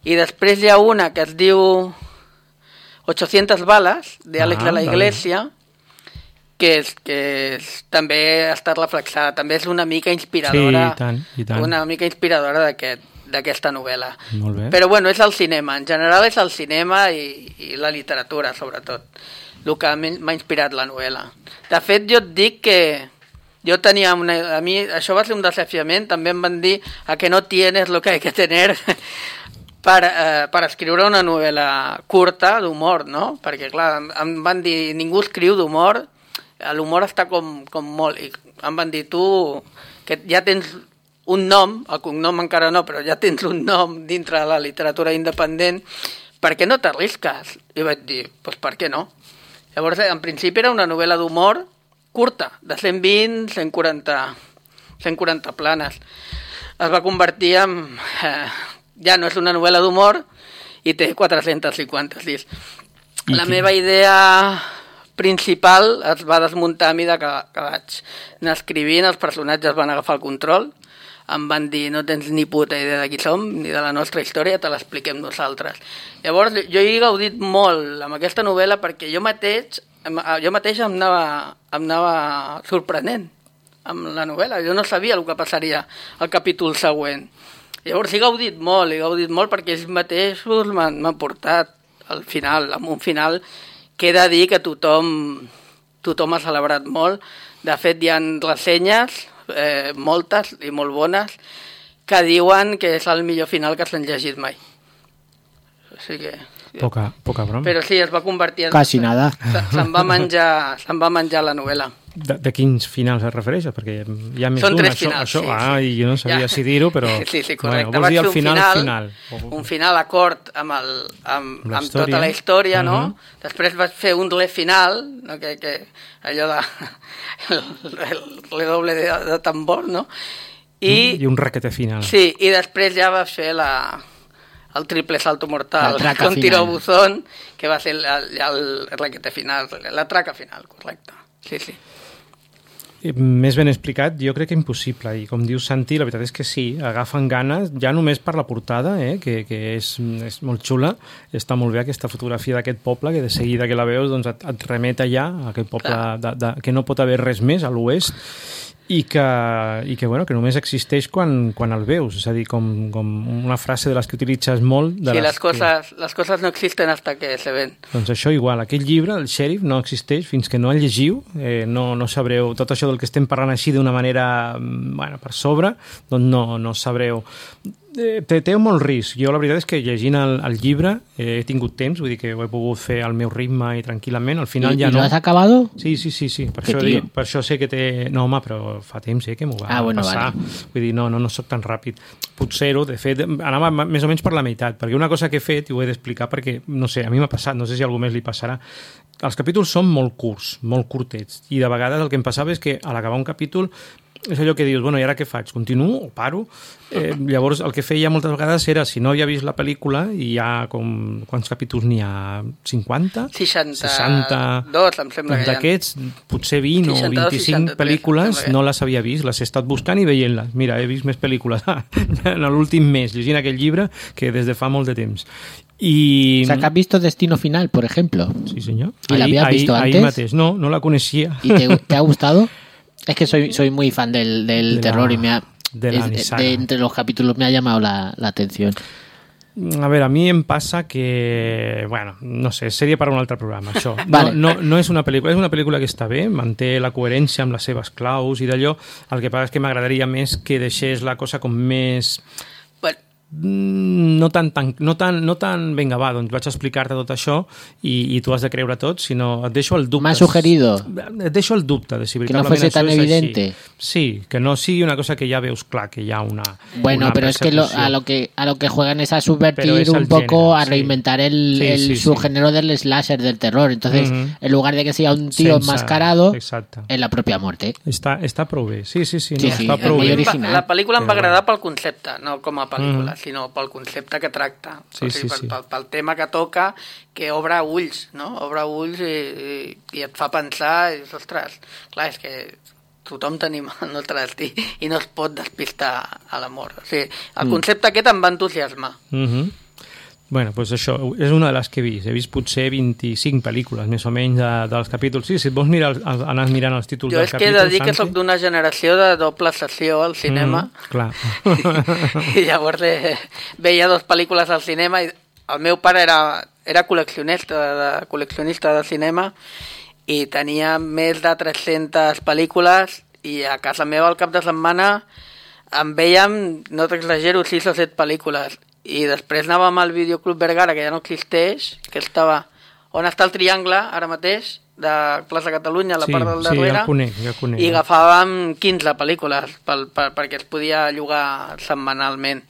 Speaker 4: I després hi ha una que es diu ochocientas balas, d'Àlex
Speaker 1: ah,
Speaker 4: de la Iglesia, que, és, que és, també ha estat reflexada. També és una mica inspiradora,
Speaker 1: sí, i tant, i tant.
Speaker 4: Una mica inspiradora d'aquest d'aquesta novel·la.
Speaker 1: Molt bé.
Speaker 4: Però bueno, és el cinema, en general és el cinema i, i la literatura, sobretot, el que m'ha inspirat la novel·la. De fet, jo et dic que jo tenia una... A mi això va ser un desafiament, també em van dir a que no tienes lo que hay que tener per, eh, per escriure una novel·la curta d'humor, no? Perquè, clar, em van dir, ningú escriu d'humor, l'humor està com, com molt... I em van dir, tu, que ja tens un nom, el cognom encara no, però ja tens un nom dintre de la literatura independent, per què no t'arrisques? I vaig dir, doncs per què no? Llavors, en principi era una novel·la d'humor curta, de cent vint a cent quaranta, cent quaranta planes. Es va convertir en... Eh, ja no és una novel·la d'humor i té quatre-cents cinquanta sis. La I meva idea principal es va desmuntar a mesura que, que vaig anar escrivint, els personatges van agafar el control, em van dir, no tens ni puta idea de qui som, ni de la nostra història, te l'expliquem nosaltres. Llavors, jo he gaudit molt amb aquesta novel·la perquè jo mateix, jo mateix em anava, em anava sorprenent amb la novel·la. Jo no sabia el que passaria al capítol següent. Llavors he gaudit molt, he gaudit molt perquè ells mateixos m'han portat al final, amb un final que he de dir que tothom, tothom ha celebrat molt. De fet, hi ha ressenyes, eh, moltes i molt bones, que diuen que és el millor final que s'han llegit mai. O sigui que...
Speaker 1: Poca, poca broma.
Speaker 4: Però sí, es va convertir en...
Speaker 2: Quasi nada.
Speaker 4: Se'n va menjar, se'n va menjar la novel·la.
Speaker 1: De, de quins finals es refereix? Perquè hi ha més
Speaker 4: Són
Speaker 1: d'un.
Speaker 4: tres
Speaker 1: Això,
Speaker 4: finals,
Speaker 1: això,
Speaker 4: sí,
Speaker 1: ah,
Speaker 4: sí.
Speaker 1: I jo no sabia
Speaker 4: Ja.
Speaker 1: si dir-ho, però...
Speaker 4: Sí, sí, correcte.
Speaker 1: Bueno, vols dir el
Speaker 4: un
Speaker 1: final,
Speaker 4: final,
Speaker 1: final.
Speaker 4: Un final acord amb, el, amb,
Speaker 1: La
Speaker 4: amb
Speaker 1: història.
Speaker 4: tota la història, no?
Speaker 1: Uh-huh.
Speaker 4: Després vaig fer un le final, no? que, que allò de... el, el le doble de, de tambor, no? I,
Speaker 1: I un raquete final.
Speaker 4: Sí, i després ja va fer la, el triple salto mortal,
Speaker 2: La traca
Speaker 4: con tiro
Speaker 2: final.
Speaker 4: buzón, que va ser el, el, el raquete final, la traca final, correcte. Sí, sí.
Speaker 1: Més ben explicat, jo crec que impossible, i com diu Santi, la veritat és que sí, agafen ganes, ja només per la portada, eh, que, que és, és molt xula, està molt bé aquesta fotografia d'aquest poble, que de seguida que la veus doncs et, et remet allà, a aquest poble de, de, que no pot haver res més a l'oest, i que, i que, bueno, que només existeix quan, quan el veus, és a dir, com, com una frase de les que utilitzes molt. De
Speaker 4: Sí,
Speaker 1: les,
Speaker 4: les coses,
Speaker 1: que...
Speaker 4: les coses no existen hasta que se ven.
Speaker 1: Doncs això igual, aquell llibre, el Xèrif, no existeix fins que no el llegiu, eh, no, no sabreu, tot això del que estem parlant així d'una manera, bueno, per sobre, doncs no, no sabreu. Eh, té, té molt risc. Jo la veritat és que llegint el, el llibre eh, he tingut temps, vull dir que ho he pogut fer al meu ritme i tranquil·lament, al final
Speaker 2: ¿Y,
Speaker 1: ja
Speaker 2: y
Speaker 1: no...
Speaker 2: lo has acabado?
Speaker 1: Sí, sí, sí, sí. Per,
Speaker 2: Que
Speaker 1: això,
Speaker 2: tio.
Speaker 1: dic, per això sé que té... No, home, però fa temps eh, que m'ho va
Speaker 2: Ah, bueno,
Speaker 1: passar.
Speaker 2: vale.
Speaker 1: Vull dir, no, no, no soc tan ràpid. Potser-ho, de fet, anava més o menys per la meitat, perquè una cosa que he fet, i ho he d'explicar perquè, no sé, a mi m'ha passat, no sé si a algú més li passarà, els capítols són molt curts, molt curtets, i de vegades el que em passava és que a l'acabar un capítol és allò que dius, bueno, i ara què faig? Continuo o paro? Eh, llavors, el que feia moltes vegades era, si no havia vist la pel·lícula, i hi ha com... Quants capítols n'hi ha? cinquanta?
Speaker 4: seixanta-dos, em sembla que hi ha.
Speaker 1: D'aquests, potser vint o
Speaker 4: seixanta-dos,
Speaker 1: vint-i-cinc
Speaker 4: seixanta-tres,
Speaker 1: pel·lícules
Speaker 4: em sembla que-
Speaker 1: no les havia vist, les he estat buscant i veient-les. Mira, he vist més pel·lícules en l'últim mes, llegint aquell llibre, que des de fa molt de temps. I...
Speaker 2: O sea, que has visto Destino Final, por ejemplo.
Speaker 1: Sí, senyor.
Speaker 2: ¿Y la habías
Speaker 1: ahí,
Speaker 2: visto
Speaker 1: ahí
Speaker 2: antes?
Speaker 1: mateix. No, no la coneixia.
Speaker 2: ¿Y te, te ha gustado? Es que soy, soy muy fan del, del
Speaker 1: De la-
Speaker 2: terror y me ha,
Speaker 1: de la
Speaker 2: es-
Speaker 1: nissaga.
Speaker 2: de entre los capítulos me ha llamado la, la atención.
Speaker 1: A veure, a mi em passa que... Bueno, no sé, seria per a un altre programa, això.
Speaker 2: Vale.
Speaker 1: No, no, no és una pel·lícula, és una pel·lícula que està bé, manté la coherència amb les seves claus i d'allò. El que passa és que m'agradaria més que deixés la cosa com més...
Speaker 4: Bueno,
Speaker 1: no tan, tan, no tan, no tan vinga, va, doncs vaig explicar-te tot això i, i tu has de creure tot, sinó et deixo el dubte.
Speaker 2: M'ha sugerido.
Speaker 1: Et deixo el dubte de si
Speaker 2: que no
Speaker 1: veritablement
Speaker 2: fuese tan
Speaker 1: això és
Speaker 2: evidente.
Speaker 1: així. Sí, que no sigui una cosa que ja veus clar, que hi ha una
Speaker 2: Bueno,
Speaker 1: una
Speaker 2: pero es que lo, a, lo que a lo que juegan es a subvertir es un poco, género, a reinventar sí. el,
Speaker 1: sí,
Speaker 2: el
Speaker 1: sí,
Speaker 2: subgénero
Speaker 1: sí.
Speaker 2: del slasher, del terror. Entonces, mm-hmm. en lugar de que sea un tío
Speaker 1: Sense,
Speaker 2: enmascarado,
Speaker 1: exacte.
Speaker 2: es la propia muerte.
Speaker 1: Està, està prou bé, sí, sí, sí,
Speaker 2: sí,
Speaker 1: no,
Speaker 2: sí
Speaker 1: està prou bé.
Speaker 2: Original.
Speaker 4: La pel·lícula em va agradar pel concepte, no com a pel·lícula, mm. sinó pel concepte que tracta.
Speaker 1: Sí,
Speaker 4: o sigui,
Speaker 1: sí,
Speaker 4: pel,
Speaker 1: sí.
Speaker 4: pel, pel tema que toca, que obre ulls, no? Obre ulls i, i, i et fa pensar, i dius, ostres, clar, és que tothom tenim el nostre destí i no es pot despistar a l'amor. O sigui, el concepte mm. aquest em va entusiasmar.
Speaker 1: Mhm. Bueno, doncs això, és una de les que he vist. He vist potser vint-i-cinc pel·lícules, més o menys, de, dels capítols. Sí, si et vols mirar, anar mirant els títols
Speaker 4: jo
Speaker 1: dels capítols...
Speaker 4: Jo és que he de dir que soc d'una generació de doble sessió al cinema.
Speaker 1: Mm, clar.
Speaker 4: I llavors eh, veia dues pel·lícules al cinema i el meu pare era, era col·leccionista, de, col·leccionista de cinema i tenia més de tres-centes pel·lícules i a casa meva al cap de setmana en vèiem, no t'exagero, sis o set pel·lícules. I després anàvem al Videoclub Vergara, que ja no existeix, que estava on està el Triangle, ara mateix, de Plaça Catalunya, a la
Speaker 1: sí,
Speaker 4: part del darrere,
Speaker 1: sí, ja conec, ja conec.
Speaker 4: i agafàvem quinze pel·lícules pel, per, perquè es podia llogar setmanalment.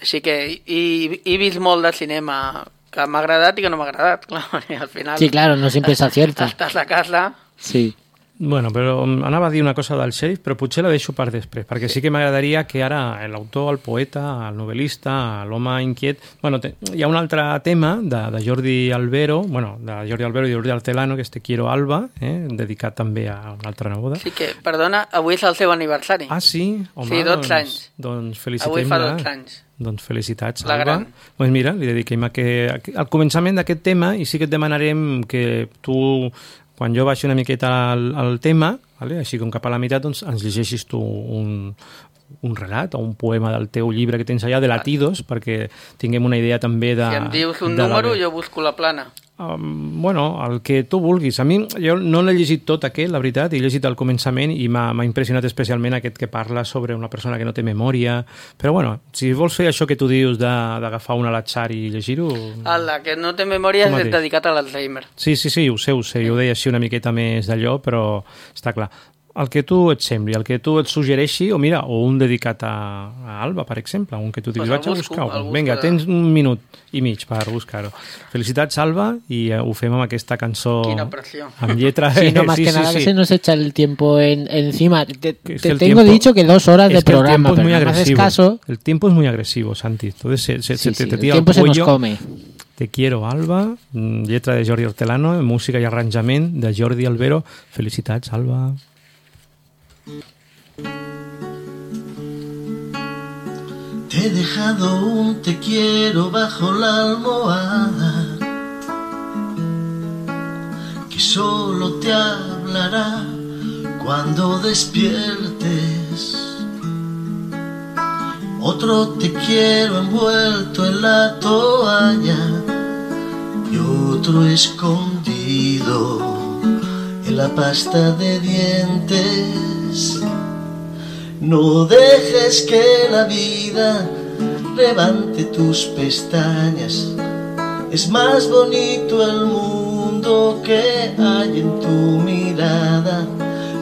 Speaker 4: Així que he, he vist molt de cinema que m'ha agradat i que no m'ha agradat, clar, al final...
Speaker 2: Sí, claro, no siempre es acierta.
Speaker 4: Estàs a casa...
Speaker 2: Sí.
Speaker 1: Bueno, però anava a dir una cosa del xèrif, però potser la deixo per després, perquè sí que m'agradaria que ara l'autor, el poeta, el novel·lista, l'home inquiet... Bueno, te, hi ha un altre tema de, de Jordi Albero, bueno, de Jordi Albero i Jordi Artelano, que és Te quiero Alba, eh, dedicat també a una altra neboda.
Speaker 4: Sí que, perdona, avui és el seu aniversari.
Speaker 1: Ah, sí? Home,
Speaker 4: sí, dotze
Speaker 1: doncs,
Speaker 4: anys.
Speaker 1: Doncs felicitem-la.
Speaker 4: Avui fa dotze anys.
Speaker 1: Doncs felicitats,
Speaker 4: la
Speaker 1: Alba.
Speaker 4: Gran.
Speaker 1: Doncs mira, li dediquem a que, al començament d'aquest tema, i sí que et demanarem que tu, quan jo baixi una miqueta al, al tema, vale? Així com cap a la meitat, doncs ens llegeixis tu un, un relat o un poema del teu llibre que tens allà, de Latidos, perquè tinguem una idea també de...
Speaker 4: Si em dius un
Speaker 1: de
Speaker 4: número,
Speaker 1: la...
Speaker 4: jo busco la plana.
Speaker 1: Um, bueno, el que tu vulguis. A mi, jo no l'he llegit tot aquest, la veritat, he llegit al començament i m'ha impressionat especialment aquest que parla sobre una persona que no té memòria, però bueno, si vols fer això que tu dius d'agafar un a l'atzar i llegir-ho...
Speaker 4: El que no té memòria és dedicat a l'Alzheimer.
Speaker 1: Sí, sí, sí, ho sé, ho sé, jo ho deia així una miqueta més d'allò, però està clar. El que tu et sembli, el que tu et suggereixi, o mira, o un dedicat a, a Alba, per exemple, un que tu diguis,
Speaker 4: pues
Speaker 1: vaig a buscar-ho. Vinga, tens un minut i mig per buscar-ho. Felicitats, Alba, i uh, ho fem amb aquesta cançó...
Speaker 4: Quina pressió.
Speaker 1: Amb lletra...
Speaker 2: Sí, no, más
Speaker 1: sí,
Speaker 2: que
Speaker 1: sí,
Speaker 2: nada
Speaker 1: sí.
Speaker 2: que se nos echa el tiempo en, encima. Te, te
Speaker 1: tengo
Speaker 2: tiempo, dicho que dos horas de programa, pero
Speaker 1: no
Speaker 2: me haces caso...
Speaker 1: El tiempo es muy agresivo, Santi. Entonces se, se,
Speaker 2: sí,
Speaker 1: se,
Speaker 2: sí,
Speaker 1: te
Speaker 2: el
Speaker 1: tira
Speaker 2: tiempo
Speaker 1: el
Speaker 2: se
Speaker 1: cuello.
Speaker 2: nos come.
Speaker 1: Te quiero, Alba, lletra de Jordi Hortelano, música i arranjament de Jordi Albero. Felicitats, Alba.
Speaker 5: Te he dejado un te quiero bajo la almohada que solo te hablará cuando despiertes. Otro te quiero envuelto en la toalla y otro escondido en la pasta de dientes. No dejes que la vida levante tus pestañas. Es más bonito el mundo que hay en tu mirada.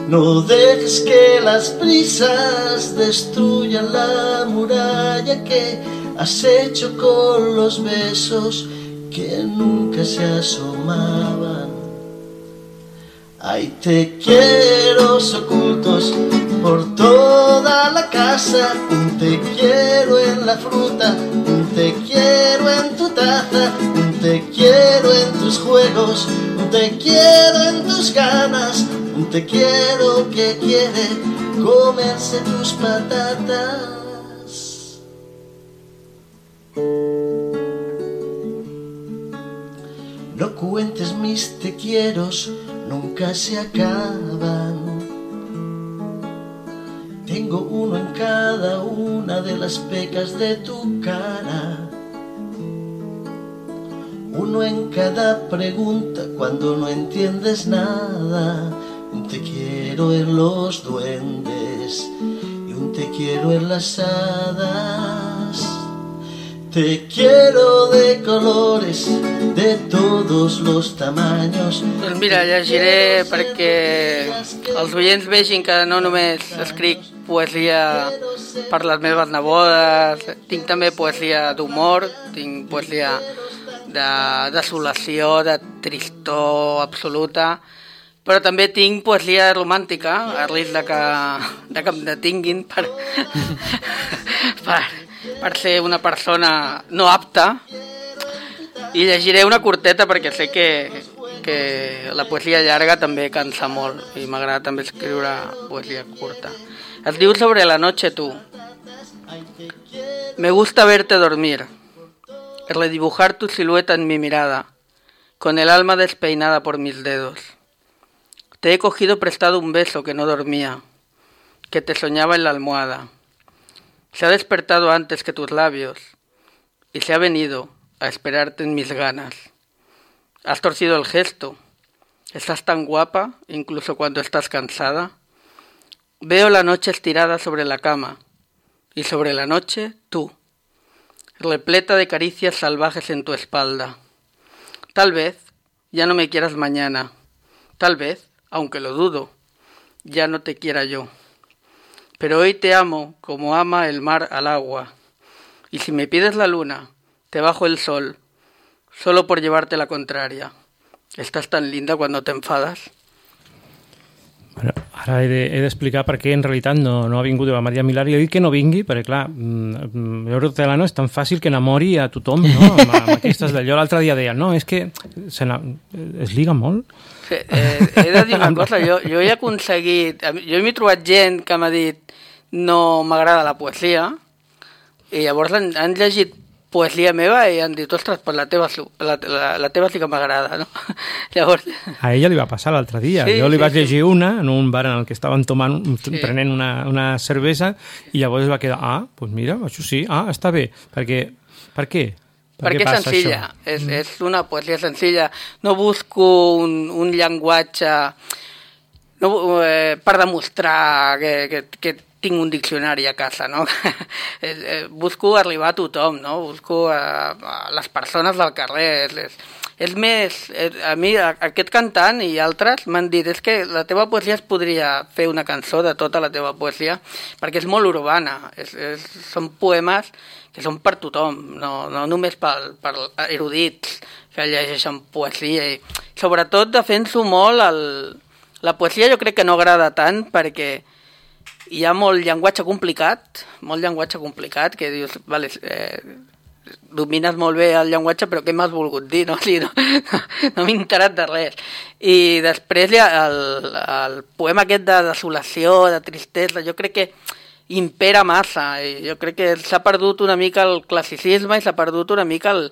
Speaker 5: No dejes que las prisas destruyan la muralla que has hecho con los besos que nunca se asomaban. Hay te quiero ocultos por toda la casa, un te quiero en la fruta, un te quiero en tu taza, un te quiero en tus juegos, un te quiero en tus ganas, un te quiero que quiere comerse tus patatas. No cuentes mis te quieros, nunca se acaban. Tengo uno en cada una de las pecas de tu cara, uno en cada pregunta cuando no entiendes nada. Un te quiero en los duendes y un te quiero en las hadas. Te quiero de colores, de todos los tamaños.
Speaker 4: Doncs mira, llegiré perquè els oients vegin que no només escric poesia per les meves nebodes, tinc també poesia d'humor, tinc poesia de desolació, de tristor absoluta, però també tinc poesia romàntica, a risc de que, de que em detinguin per, per, per ser una persona no apta, i llegiré una curteta perquè sé que, que la poesia llarga també cansa molt i m'agrada també escriure poesia curta. Es diu Sobre la noche tú. Me gusta verte dormir, redibujar tu silueta en mi mirada, con el alma despeinada por mis dedos. Te he cogido prestado un beso que no dormía, que te soñaba en la almohada. Se ha despertado antes que tus labios y se ha venido a esperarte en mis ganas. Has torcido el gesto. Estás tan guapa, incluso cuando estás cansada. Veo la noche estirada sobre la cama y sobre la noche tú, repleta de caricias salvajes en tu espalda. Tal vez ya no me quieras mañana. Tal vez, aunque lo dudo, ya no te quiera yo. Pero hoy te amo como ama el mar al agua. Y si me pides la luna, te bajo el sol, solo por llevarte la contraria. Estás tan linda cuando te enfadas.
Speaker 1: Bueno, ara he d'explicar de, per què en realitat no, no ha vingut la Maria Milà, i he dit que no vingui perquè, clar, Euro Telano és tan fàcil que enamori a tothom, no? Amb, amb aquestes d'allò. L'altre dia deia, no, és que se es liga molt.
Speaker 4: Sí, eh, he de dir una cosa, jo, jo he aconseguit, jo m'he trobat gent que m'ha dit no m'agrada la poesia, i llavors han, han llegit poesia meva i han dit, ostres, pues la teva, la, la, la teva sí que m'agrada, no? Llavors...
Speaker 1: A ella li va passar l'altre dia. Sí, jo li sí, vaig llegir sí. una en un bar en el que estaven tomant, sí. prenent una, una cervesa, i llavors es va quedar, ah, doncs pues mira, això sí, ah, està bé. Perquè, per què? Per
Speaker 4: Perquè és senzilla, és, mm. és una poesia senzilla. No busco un, un llenguatge no, eh, per demostrar que, que, que tinc un diccionari a casa, no? Busco arribar a tothom, no? Busco a, a les persones del carrer. És, és més, a mi aquest cantant i altres m'han dit és que la teva poesia es podria fer una cançó de tota la teva poesia perquè és molt urbana, és, és, són poemes que són per tothom, no, no només per, per erudits que llegeixen poesia. I sobretot defenso molt el, la poesia, jo crec que no agrada tant perquè hi ha molt llenguatge complicat, molt llenguatge complicat, que dius, vale, eh, domines molt bé el llenguatge, però què m'has volgut dir? No, o sigui, no, no, no m'he enterat de res. I després hi ha el, el poema aquest de desolació, de tristesa, jo crec que impera massa, i jo crec que s'ha perdut una mica el classicisme i s'ha perdut una mica el,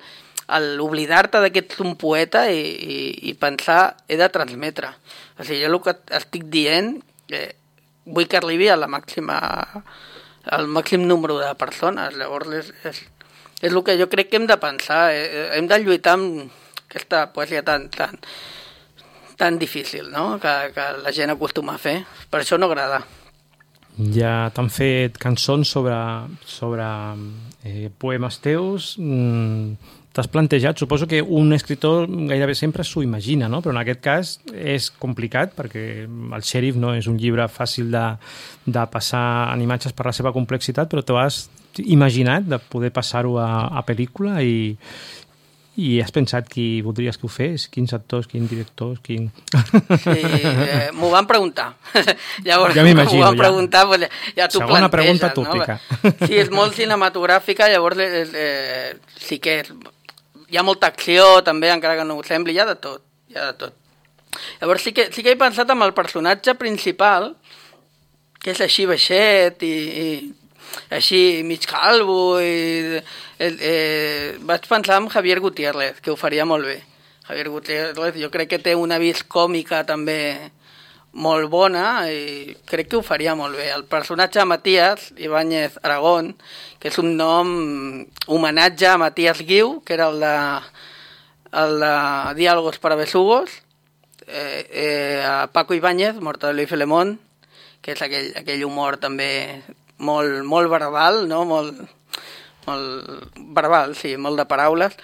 Speaker 4: el oblidar-te de que ets un poeta i, i, i pensar, he de transmetre. O sigui, jo el que estic dient... Eh, vull que arribi a la màxima, al màxim número de persones. Llavors és, és, és el que jo crec que hem de pensar. Hem de lluitar amb aquesta poesia tan, tan, tan difícil, no? que, que la gent acostuma a fer. Per això no agrada.
Speaker 1: Ja t'han fet cançons sobre, sobre eh, poemes teus. Mm, t'has plantejat, suposo que un escriptor gairebé sempre s'ho imagina, no? Però en aquest cas és complicat perquè el Xèrif no és un llibre fàcil de, de passar en imatges per la seva complexitat, però t'ho has imaginat de poder passar-ho a, a pel·lícula i, i has pensat qui voldries que ho fes? Quins actors, quins directors, quin...
Speaker 4: Sí, eh, m'ho van preguntar. Llavors,
Speaker 1: ja m'imagino,
Speaker 4: m'ho van
Speaker 1: ja.
Speaker 4: preguntar, pues, ja t'ho
Speaker 1: Segona
Speaker 4: planteges,
Speaker 1: pregunta tòpica.
Speaker 4: No? Sí, és molt cinematogràfica, llavors eh, sí que és... Hi ha molta acció, també, encara que no ho sembli, hi ha de tot, hi ha de tot. Llavors sí que, sí que he pensat en el personatge principal, que és així baixet i, i així mig calvo, i eh, eh, vaig pensar en Javier Gutiérrez, que ho faria molt bé. Javier Gutiérrez jo crec que té una vis còmica també molt bona i crec que ho faria molt bé. El personatge de Matías Ibáñez Aragón, que és un nom homenatge a Matías Guiu, que era el de, el de Diálogos para Besugos, eh, eh, a Paco Ibáñez, Mortadelo y Filemón, que és aquell, aquell humor també molt, molt verbal, no? molt, molt verbal, sí, molt de paraules.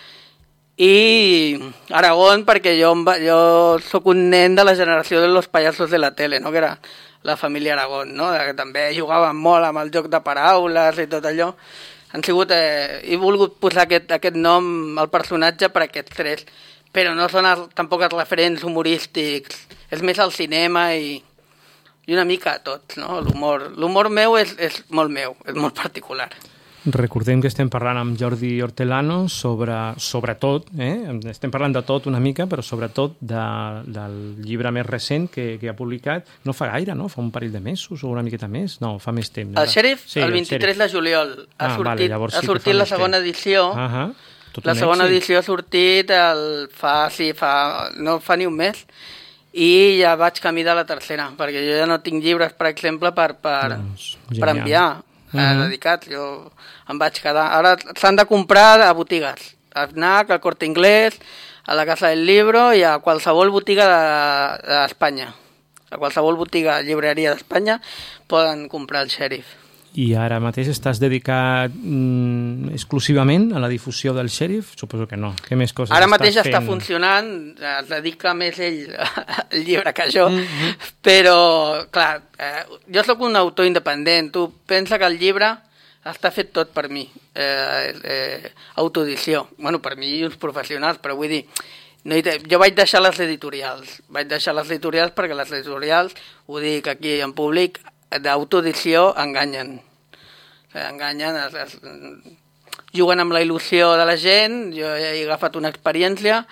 Speaker 4: I Aragón, perquè jo, jo sóc un nen de la generació de los payasos de la tele, no? Que era la família Aragón, no? Que també jugaven molt amb el joc de paraules i tot allò. Han sigut, eh, he volgut posar aquest, aquest nom al personatge per aquests tres, però no són els, tampoc els referents humorístics, és més el cinema i, i una mica tot, no? L'humor, l'humor meu és, és molt meu, és molt particular.
Speaker 1: Recordem que estem parlant amb Jordi Hortelano sobre, sobretot, eh? estem parlant de tot una mica, però sobretot de, del llibre més recent que, que ha publicat, no fa gaire, no? Fa un parell de mesos o una miqueta més? No, fa més temps.
Speaker 4: El Xèrif, sí, el vint-i-tres de juliol, ha
Speaker 1: ah,
Speaker 4: sortit,
Speaker 1: vale, llavors sí
Speaker 4: ha sortit la segona temps. edició.
Speaker 1: Uh -huh.
Speaker 4: La segona èxit. edició ha sortit el, fa, sí, fa, no fa ni un mes, i ja vaig camí de la tercera, perquè jo ja no tinc llibres, per exemple, per, per, doncs, per enviar. Uh -huh. dedicats, jo em vaig quedar. Ara s'han de comprar a botigues, a FNAC, al Corte Inglés, a la Casa del Libro i a qualsevol botiga d'Espanya. De, a qualsevol botiga, llibreria d'Espanya, poden comprar el Xèrif.
Speaker 1: I ara mateix estàs dedicat mm, exclusivament a la difusió del Xèrif? Suposo que no. Què més coses
Speaker 4: ara mateix
Speaker 1: estàs
Speaker 4: està
Speaker 1: fent?
Speaker 4: funcionant, es dedica més ell al llibre que jo, mm-hmm. però, clar, eh, jo sóc un autor independent. Tu pensa que el llibre està fet tot per mi. Eh, eh, autoedició. Bueno, per mi i uns professionals, però vull dir, no hi, jo vaig deixar les editorials. Vaig deixar les editorials perquè les editorials, ho dic aquí en públic, d'autoedició enganyen. Enganyen, es, es, juguen amb la il·lusió de la gent. Jo he agafat una experiència,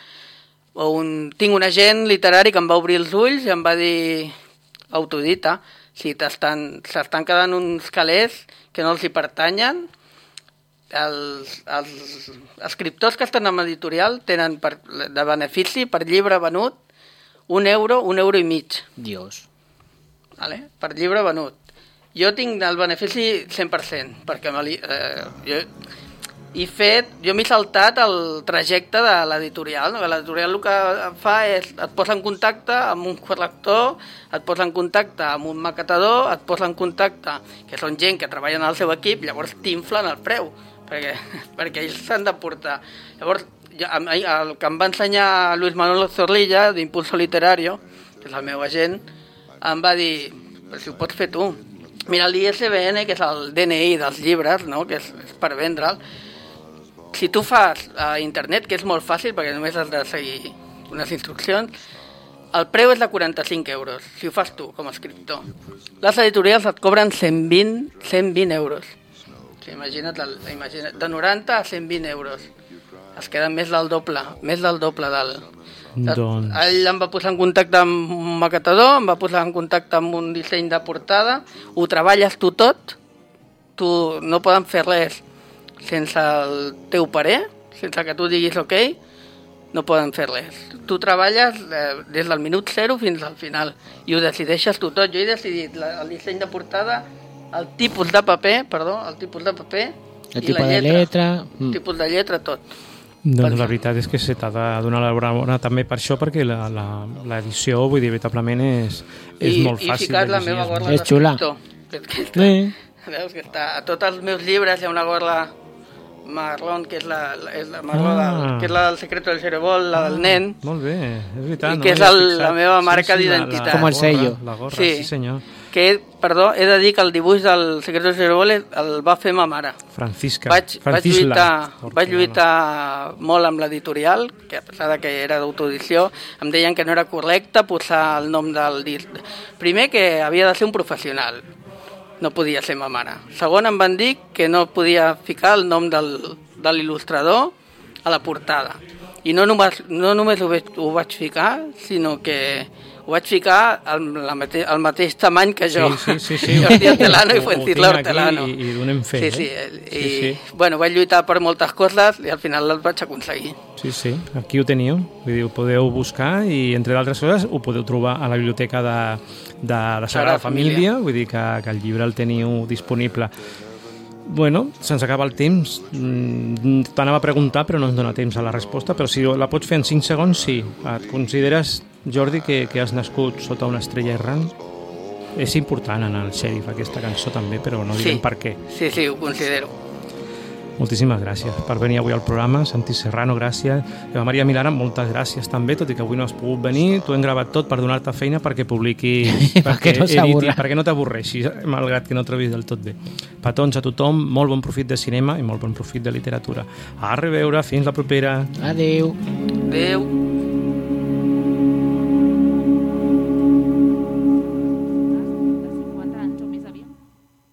Speaker 4: o un, tinc un agent literari que em va obrir els ulls i em va dir autoedita, si s'estan quedant uns calés que no els hi pertanyen. Els, els escriptors que estan en editorial tenen per, de benefici per llibre venut un euro, un euro i mig.
Speaker 2: Dios.
Speaker 4: Vale? Per llibre venut. Jo tinc el benefici cent per cent, perquè eh, jo he fet, jo m'he saltat el trajecte de l'editorial. No? L'editorial el que fa és, et posa en contacte amb un corrector, et posa en contacte amb un maquetador, et posa en contacte, que són gent que treballen al seu equip, llavors t'inflen el preu, perquè, perquè ells s'han de portar. Llavors, jo, el que em va ensenyar Luis Manuel Zorrilla, d'Impulso Literario, que és el meu agent, em va dir, però si ho pots fer tu. Mira, l'I S B N, que és el D N I dels llibres, no? Que és, és per vendre'l, si tu fas a internet, que és molt fàcil perquè només has de seguir unes instruccions, el preu és de quaranta-cinc euros, si ho fas tu com a escriptor. Les editorials et cobren cent vint euros. O sigui, imagina't, imagina't, de noranta a cent vint euros. Es queda més del doble, més del doble del...
Speaker 1: Doncs...
Speaker 4: Ell em va posar en contacte amb un maquetador, em va posar en contacte amb un disseny de portada, ho treballes tu tot, tu no poden fer res sense el teu parer, sense que tu diguis ok, no poden fer res. Tu treballes eh, des del minut zero fins al final i ho decideixes tu tot. Jo he decidit la, el disseny de portada, el tipus de paper, perdó, el tipus de paper
Speaker 2: el
Speaker 4: i la
Speaker 2: lletra,
Speaker 4: lletra,
Speaker 2: lletra.
Speaker 4: el mm. tipus de lletra, tot.
Speaker 1: Doncs la veritat és que se t'ha de donar l'enhorabona també per això, perquè l'edició, vull dir, veritablement és, és
Speaker 4: I,
Speaker 1: molt fàcil
Speaker 4: i ficat
Speaker 1: de
Speaker 4: la
Speaker 1: llegir.
Speaker 4: meva gorra
Speaker 2: és xula.
Speaker 4: Que, que està,
Speaker 2: sí.
Speaker 4: Veus que està, a tots els meus llibres hi ha una gorra marrón, que és la, la, és la, marró
Speaker 1: Ah.
Speaker 4: del, que és la del secreto del cerebol, la del nen,
Speaker 1: Molt bé, és veritat.
Speaker 4: I
Speaker 1: no
Speaker 4: que és
Speaker 1: m'hi havia
Speaker 4: el-
Speaker 1: fixat.
Speaker 4: la meva marca d'identitat.
Speaker 1: la
Speaker 2: Com el
Speaker 1: gorra,
Speaker 2: sello.
Speaker 1: La gorra,
Speaker 4: Sí.
Speaker 1: sí, senyor.
Speaker 4: que, perdó, he de dir que el dibuix del secreto del cerebol el va fer ma mare.
Speaker 1: Francisca.
Speaker 4: Vaig, vaig,
Speaker 1: Francisla
Speaker 4: lluitar,
Speaker 1: Hortelano.
Speaker 4: vaig lluitar molt amb l'editorial, que a pesar de que era d'autoedició, em deien que no era correcte posar el nom del disc. Primer, que havia de ser un professional, no podia ser ma mare. Segon, em van dir que no podia ficar el nom del, de l'il·lustrador a la portada. I no només, no només ho, vaig, ho vaig ficar, sinó que ho vaig ficar al, la mate, al mateix tamany que jo.
Speaker 1: Sí, sí, sí, sí.
Speaker 4: Jordi Hortelano
Speaker 1: Ho-
Speaker 4: i
Speaker 1: ho
Speaker 4: Fuencisla
Speaker 1: tinc aquí
Speaker 4: Hortelano.
Speaker 1: I, i donem fe.
Speaker 4: Sí, sí,
Speaker 1: eh?
Speaker 4: i,
Speaker 1: sí, sí.
Speaker 4: bueno, vaig lluitar per moltes coses i al final les vaig aconseguir.
Speaker 1: Sí, sí, aquí ho teniu, vull dir, ho podeu buscar i, entre d'altres coses, ho podeu trobar a la biblioteca de, de la Sagrada Família, vull dir que, que el llibre el teniu disponible. Bueno, se'ns acaba el temps. Mm, T'anava a preguntar, però no ens dona temps a la resposta, però si la pots fer en cinc segons, sí. Et consideres, Jordi, que, que has nascut sota una estrella errant? És important en el Xèrif, aquesta cançó també, però no direm
Speaker 4: Sí.
Speaker 1: per què.
Speaker 4: Sí, sí, ho considero.
Speaker 1: Moltíssimes gràcies per venir avui al programa. Santi Serrano, gràcies. Eva Maria Milana, moltes gràcies també, tot i que avui no has pogut venir. T'ho hem gravat tot per donar-te feina perquè publiqui, perquè,
Speaker 2: no
Speaker 1: editi, perquè no t'avorreixis, malgrat que no trobis del tot bé. Petons a tothom, molt bon profit de cinema i molt bon profit de literatura. A reveure, fins la propera.
Speaker 2: Adeu.
Speaker 4: Adeu.